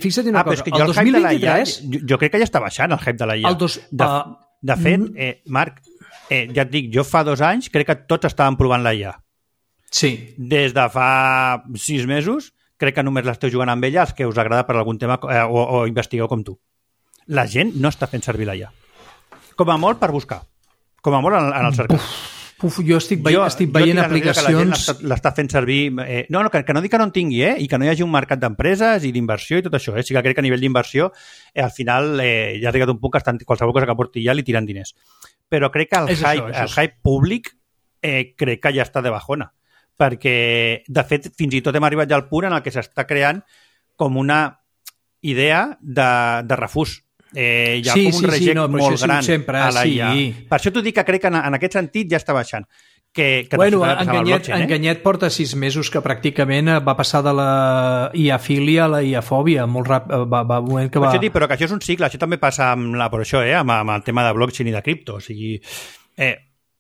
Fixa't una ah, cosa. El dos mil vint-i-tres... Jo, jo crec que ja està baixant el hype de la I A. Dos, de, uh, de fet, eh, Marc, eh, ja et dic, jo fa dos anys crec que tots estàvem provant la I A. Sí. Des de fa sis mesos crec que només l'esteu jugant amb ella els que us agrada per algun tema eh, o, o investigueu com tu. La gent no està fent servir la I A. Com a molt per buscar. Com a molt en, en el cercat. Puf, puf, jo estic, veient, jo, estic veient jo aplicacions... Que l'està fent servir... Eh, no, no que, que no dic que no en tingui, eh? I que no hi hagi un mercat d'empreses i d'inversió i tot això. Eh? Sí que crec que a nivell d'inversió eh, al final eh, ja ha arribat un punt que estan, qualsevol cosa que porti ja li tiren diners. Però crec que el, hype, això, això. el hype públic eh, crec que ja està de bajona. Perquè, de fet, fins i tot hem arribat ja al punt en el que s'està creant com una idea de, de refús. Eh, hi ha sí, com un sí, reject sí, no, molt gran sempre, a la I A. Sí. Per això t'ho dic que crec que en, en aquest sentit ja està baixant. Que, que bueno, Enganyet, eh? Enganyet porta sis mesos que pràcticament va passar de la I A-fília a la I A-fòbia. Molt ràpid, va, va, moment que va... Això, però que això és un cicle, això també passa amb, la, per això, eh, amb, amb el tema de blockchain i de cripto. O sigui, eh,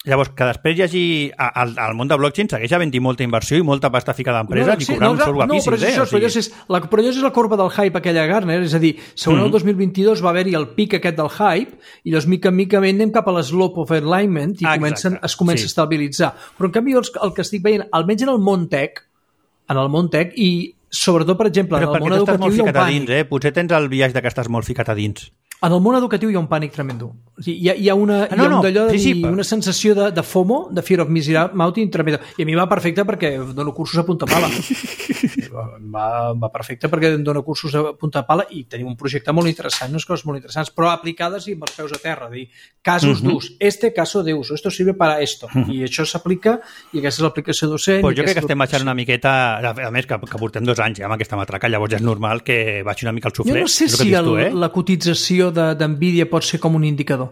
llavors, que després hi hagi... Al, al món de blockchain segueix havent-hi molta inversió i molta pasta ficada d'empreses no, sí, i cobrant no, uns sous guapíssims. No, però, això, eh? O sigui... però, és, la, però això és la corba del hype aquella Gartner, és a dir, segons mm-hmm. el dos mil vint-i-dos va haver-hi el pic aquest del hype i llavors mica en mica anem cap a l'eslope of alignment i ah, comencen, es comença sí. a estabilitzar. Però en canvi el, el que estic veient, almenys en el món tech, en el món tech i sobretot, per exemple, però en el món educatiu hi ha un pànic. Dins, eh? Potser tens el viatge que estàs molt ficat a dins. En el món educatiu hi ha un pànic tremendo. O sigui, hi, ha, hi ha una, ah, no, hi ha un d'allò de sí, sí, una sensació de, de FOMO, de Fear of Missing Out tremendo. I a mi va perfecte perquè dono cursos a punta pala. va, va perfecte perquè dono cursos a punta pala i tenim un projecte molt interessant, unes coses molt interessants, però aplicades i amb els peus a terra. Dir, casos uh-huh. d'ús. Este caso de uso. Esto sirve para esto. Uh-huh. I això s'aplica i aquesta és l'aplicació docent. Pues jo crec que estem baixant una miqueta, a més que, que portem dos anys ja amb aquesta matraca, llavors ja és normal que baixi una mica el suflé. Jo no sé si el, tu, eh? la cotització d'Nvidia pot ser com un indicador.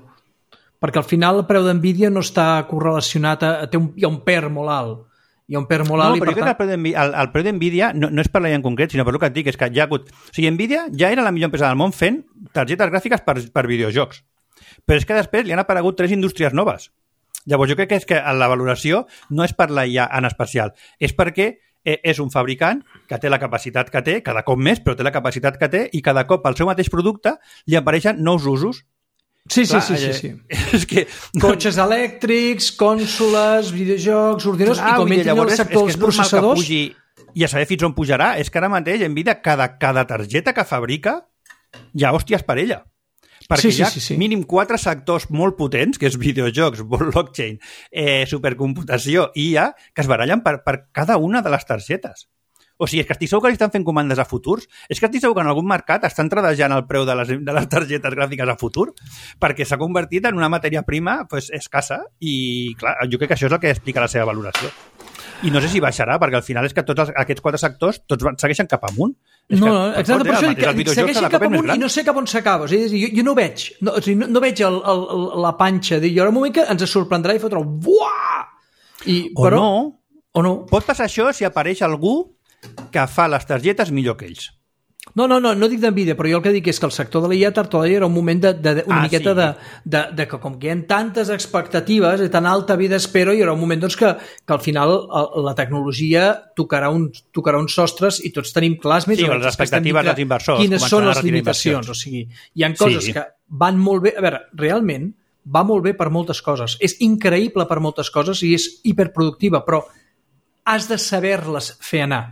Perquè al final el preu d'Nvidia no està correlacionat a... a té un, hi ha un P E R molt alt. hi ha un per molt alt. No, però jo crec que el, el, el preu d'Nvidia no, no és per l'I A en concret, sinó per el que et dic, és que ja ha hagut... O sigui, Nvidia ja era la millor empresa del món fent targetes gràfiques per, per videojocs. Però és que després li han aparegut tres indústries noves. Llavors jo crec que és que la valoració no és per la I A en especial, és perquè és un fabricant que té la capacitat que té, cada cop més, però té la capacitat que té, i cada cop al seu mateix producte li apareixen nous usos. Sí, sí, sí, sí, sí. És que... Cotxes elèctrics, cònsoles, videojocs, ordinadors, i com entrin al sector dels processadors... Pugi, i a saber fins on pujarà. És que ara mateix, Nvidia, cada, cada targeta que fabrica, hi ha hòsties per ella. Perquè sí, sí, hi ha sí, sí. mínim quatre sectors molt potents, que és videojocs, blockchain, eh, supercomputació i I A, que es barallen per, per cada una de les targetes. O sigui, és que estic segur que li estan fent comandes a futurs. És que estic segur que en algun mercat estan tradejant el preu de les, de les targetes gràfiques a futur, perquè s'ha convertit en una matèria prima pues, escassa i, clar, jo crec que això és el que explica la seva valoració. I no sé si baixarà, perquè al final és que tots els, aquests quatre sectors tots van, segueixen cap amunt. És no, que, no, exacte, per això dic que segueixen cap amunt i no sé cap on s'acaba. O sigui, jo, jo no veig, no, o sigui, no, no veig el, el, la panxa. Hi haurà un moment que ens sorprendrà i fotrà buah! I, o però, no. O no. Pot passar això si apareix algú que fa les targetes millor que ells. No, no, no, no dic d'Nvidia, però jo el que dic és que el sector de l'I A tard o d'ahir era un moment de, de, de una ah, miqueta sí. de, de, de que com que hi ha tantes expectatives i tan alta vida espero, hi haurà un moment doncs, que, que al final la tecnologia tocarà uns, tocarà uns sostres i tots tenim clars més sí, o menys les expectatives dels inversors. Quines són les limitacions. O sigui, hi ha coses sí. que van molt bé. A veure, realment va molt bé per moltes coses. És increïble per moltes coses i és hiperproductiva, però has de saber-les fer anar.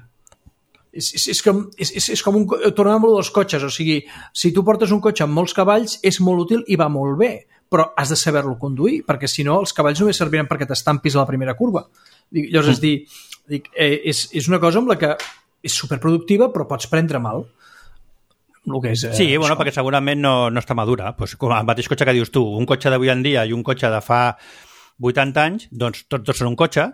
És, és, és, com, és, és com un... Tornem amb dels cotxes, o sigui, si tu portes un cotxe amb molts cavalls és molt útil i va molt bé, però has de saber-lo conduir, perquè si no els cavalls només serviran perquè t'estampis a la primera curva. Llavors, és dir, dic, eh, és, és una cosa amb la que és superproductiva però pots prendre mal. El que és, eh, sí, bueno, això. perquè segurament no, no està madura. Pues, com el mateix cotxe que dius tu, un cotxe d'avui en dia i un cotxe de fa vuitanta anys, doncs tots dos són un cotxe,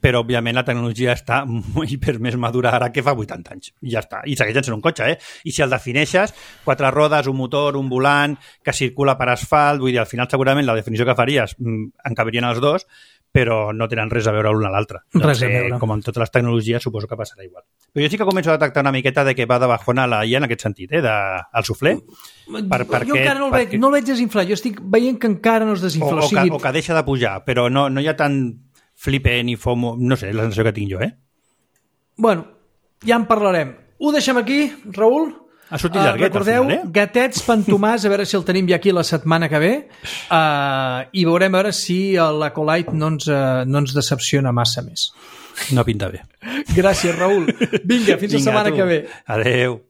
però òbviament la tecnologia està hiper més madura ara que fa vuitanta anys. I ja està. I segueix sent un cotxe, eh? I si el defineixes, quatre rodes, un motor, un volant, que circula per asfalt, vull dir, al final segurament la definició que faries en cabrien els dos, però no tenen res a veure l'un a l'altre. Res a eh, veure. Com en totes les tecnologies, suposo que passarà igual. Però jo sí que començo a detectar una miqueta de que va de bajona la I A en aquest sentit, eh? De, el suflé. Per, per jo què, encara no el, veig, perquè... no el veig desinflar. Jo estic veient que encara no es desinfla. O, o, o, sigui... que, o que deixa de pujar, però no, no hi ha tant flipe ni fomo, no sé, la sensació que tinc jo, eh? Bueno, ja en parlarem. Ho deixem aquí, Raül? Ha sortit llarguet, uh, recordeu, al final, eh? Gatets Pantomàs, a veure si el tenim ja aquí la setmana que ve, uh, i veurem a veure si l'Acolite no, ens, uh, no ens decepciona massa més. No pinta bé. Gràcies, Raül. Vinga, fins Vinga, la setmana tu. que ve. Adeu.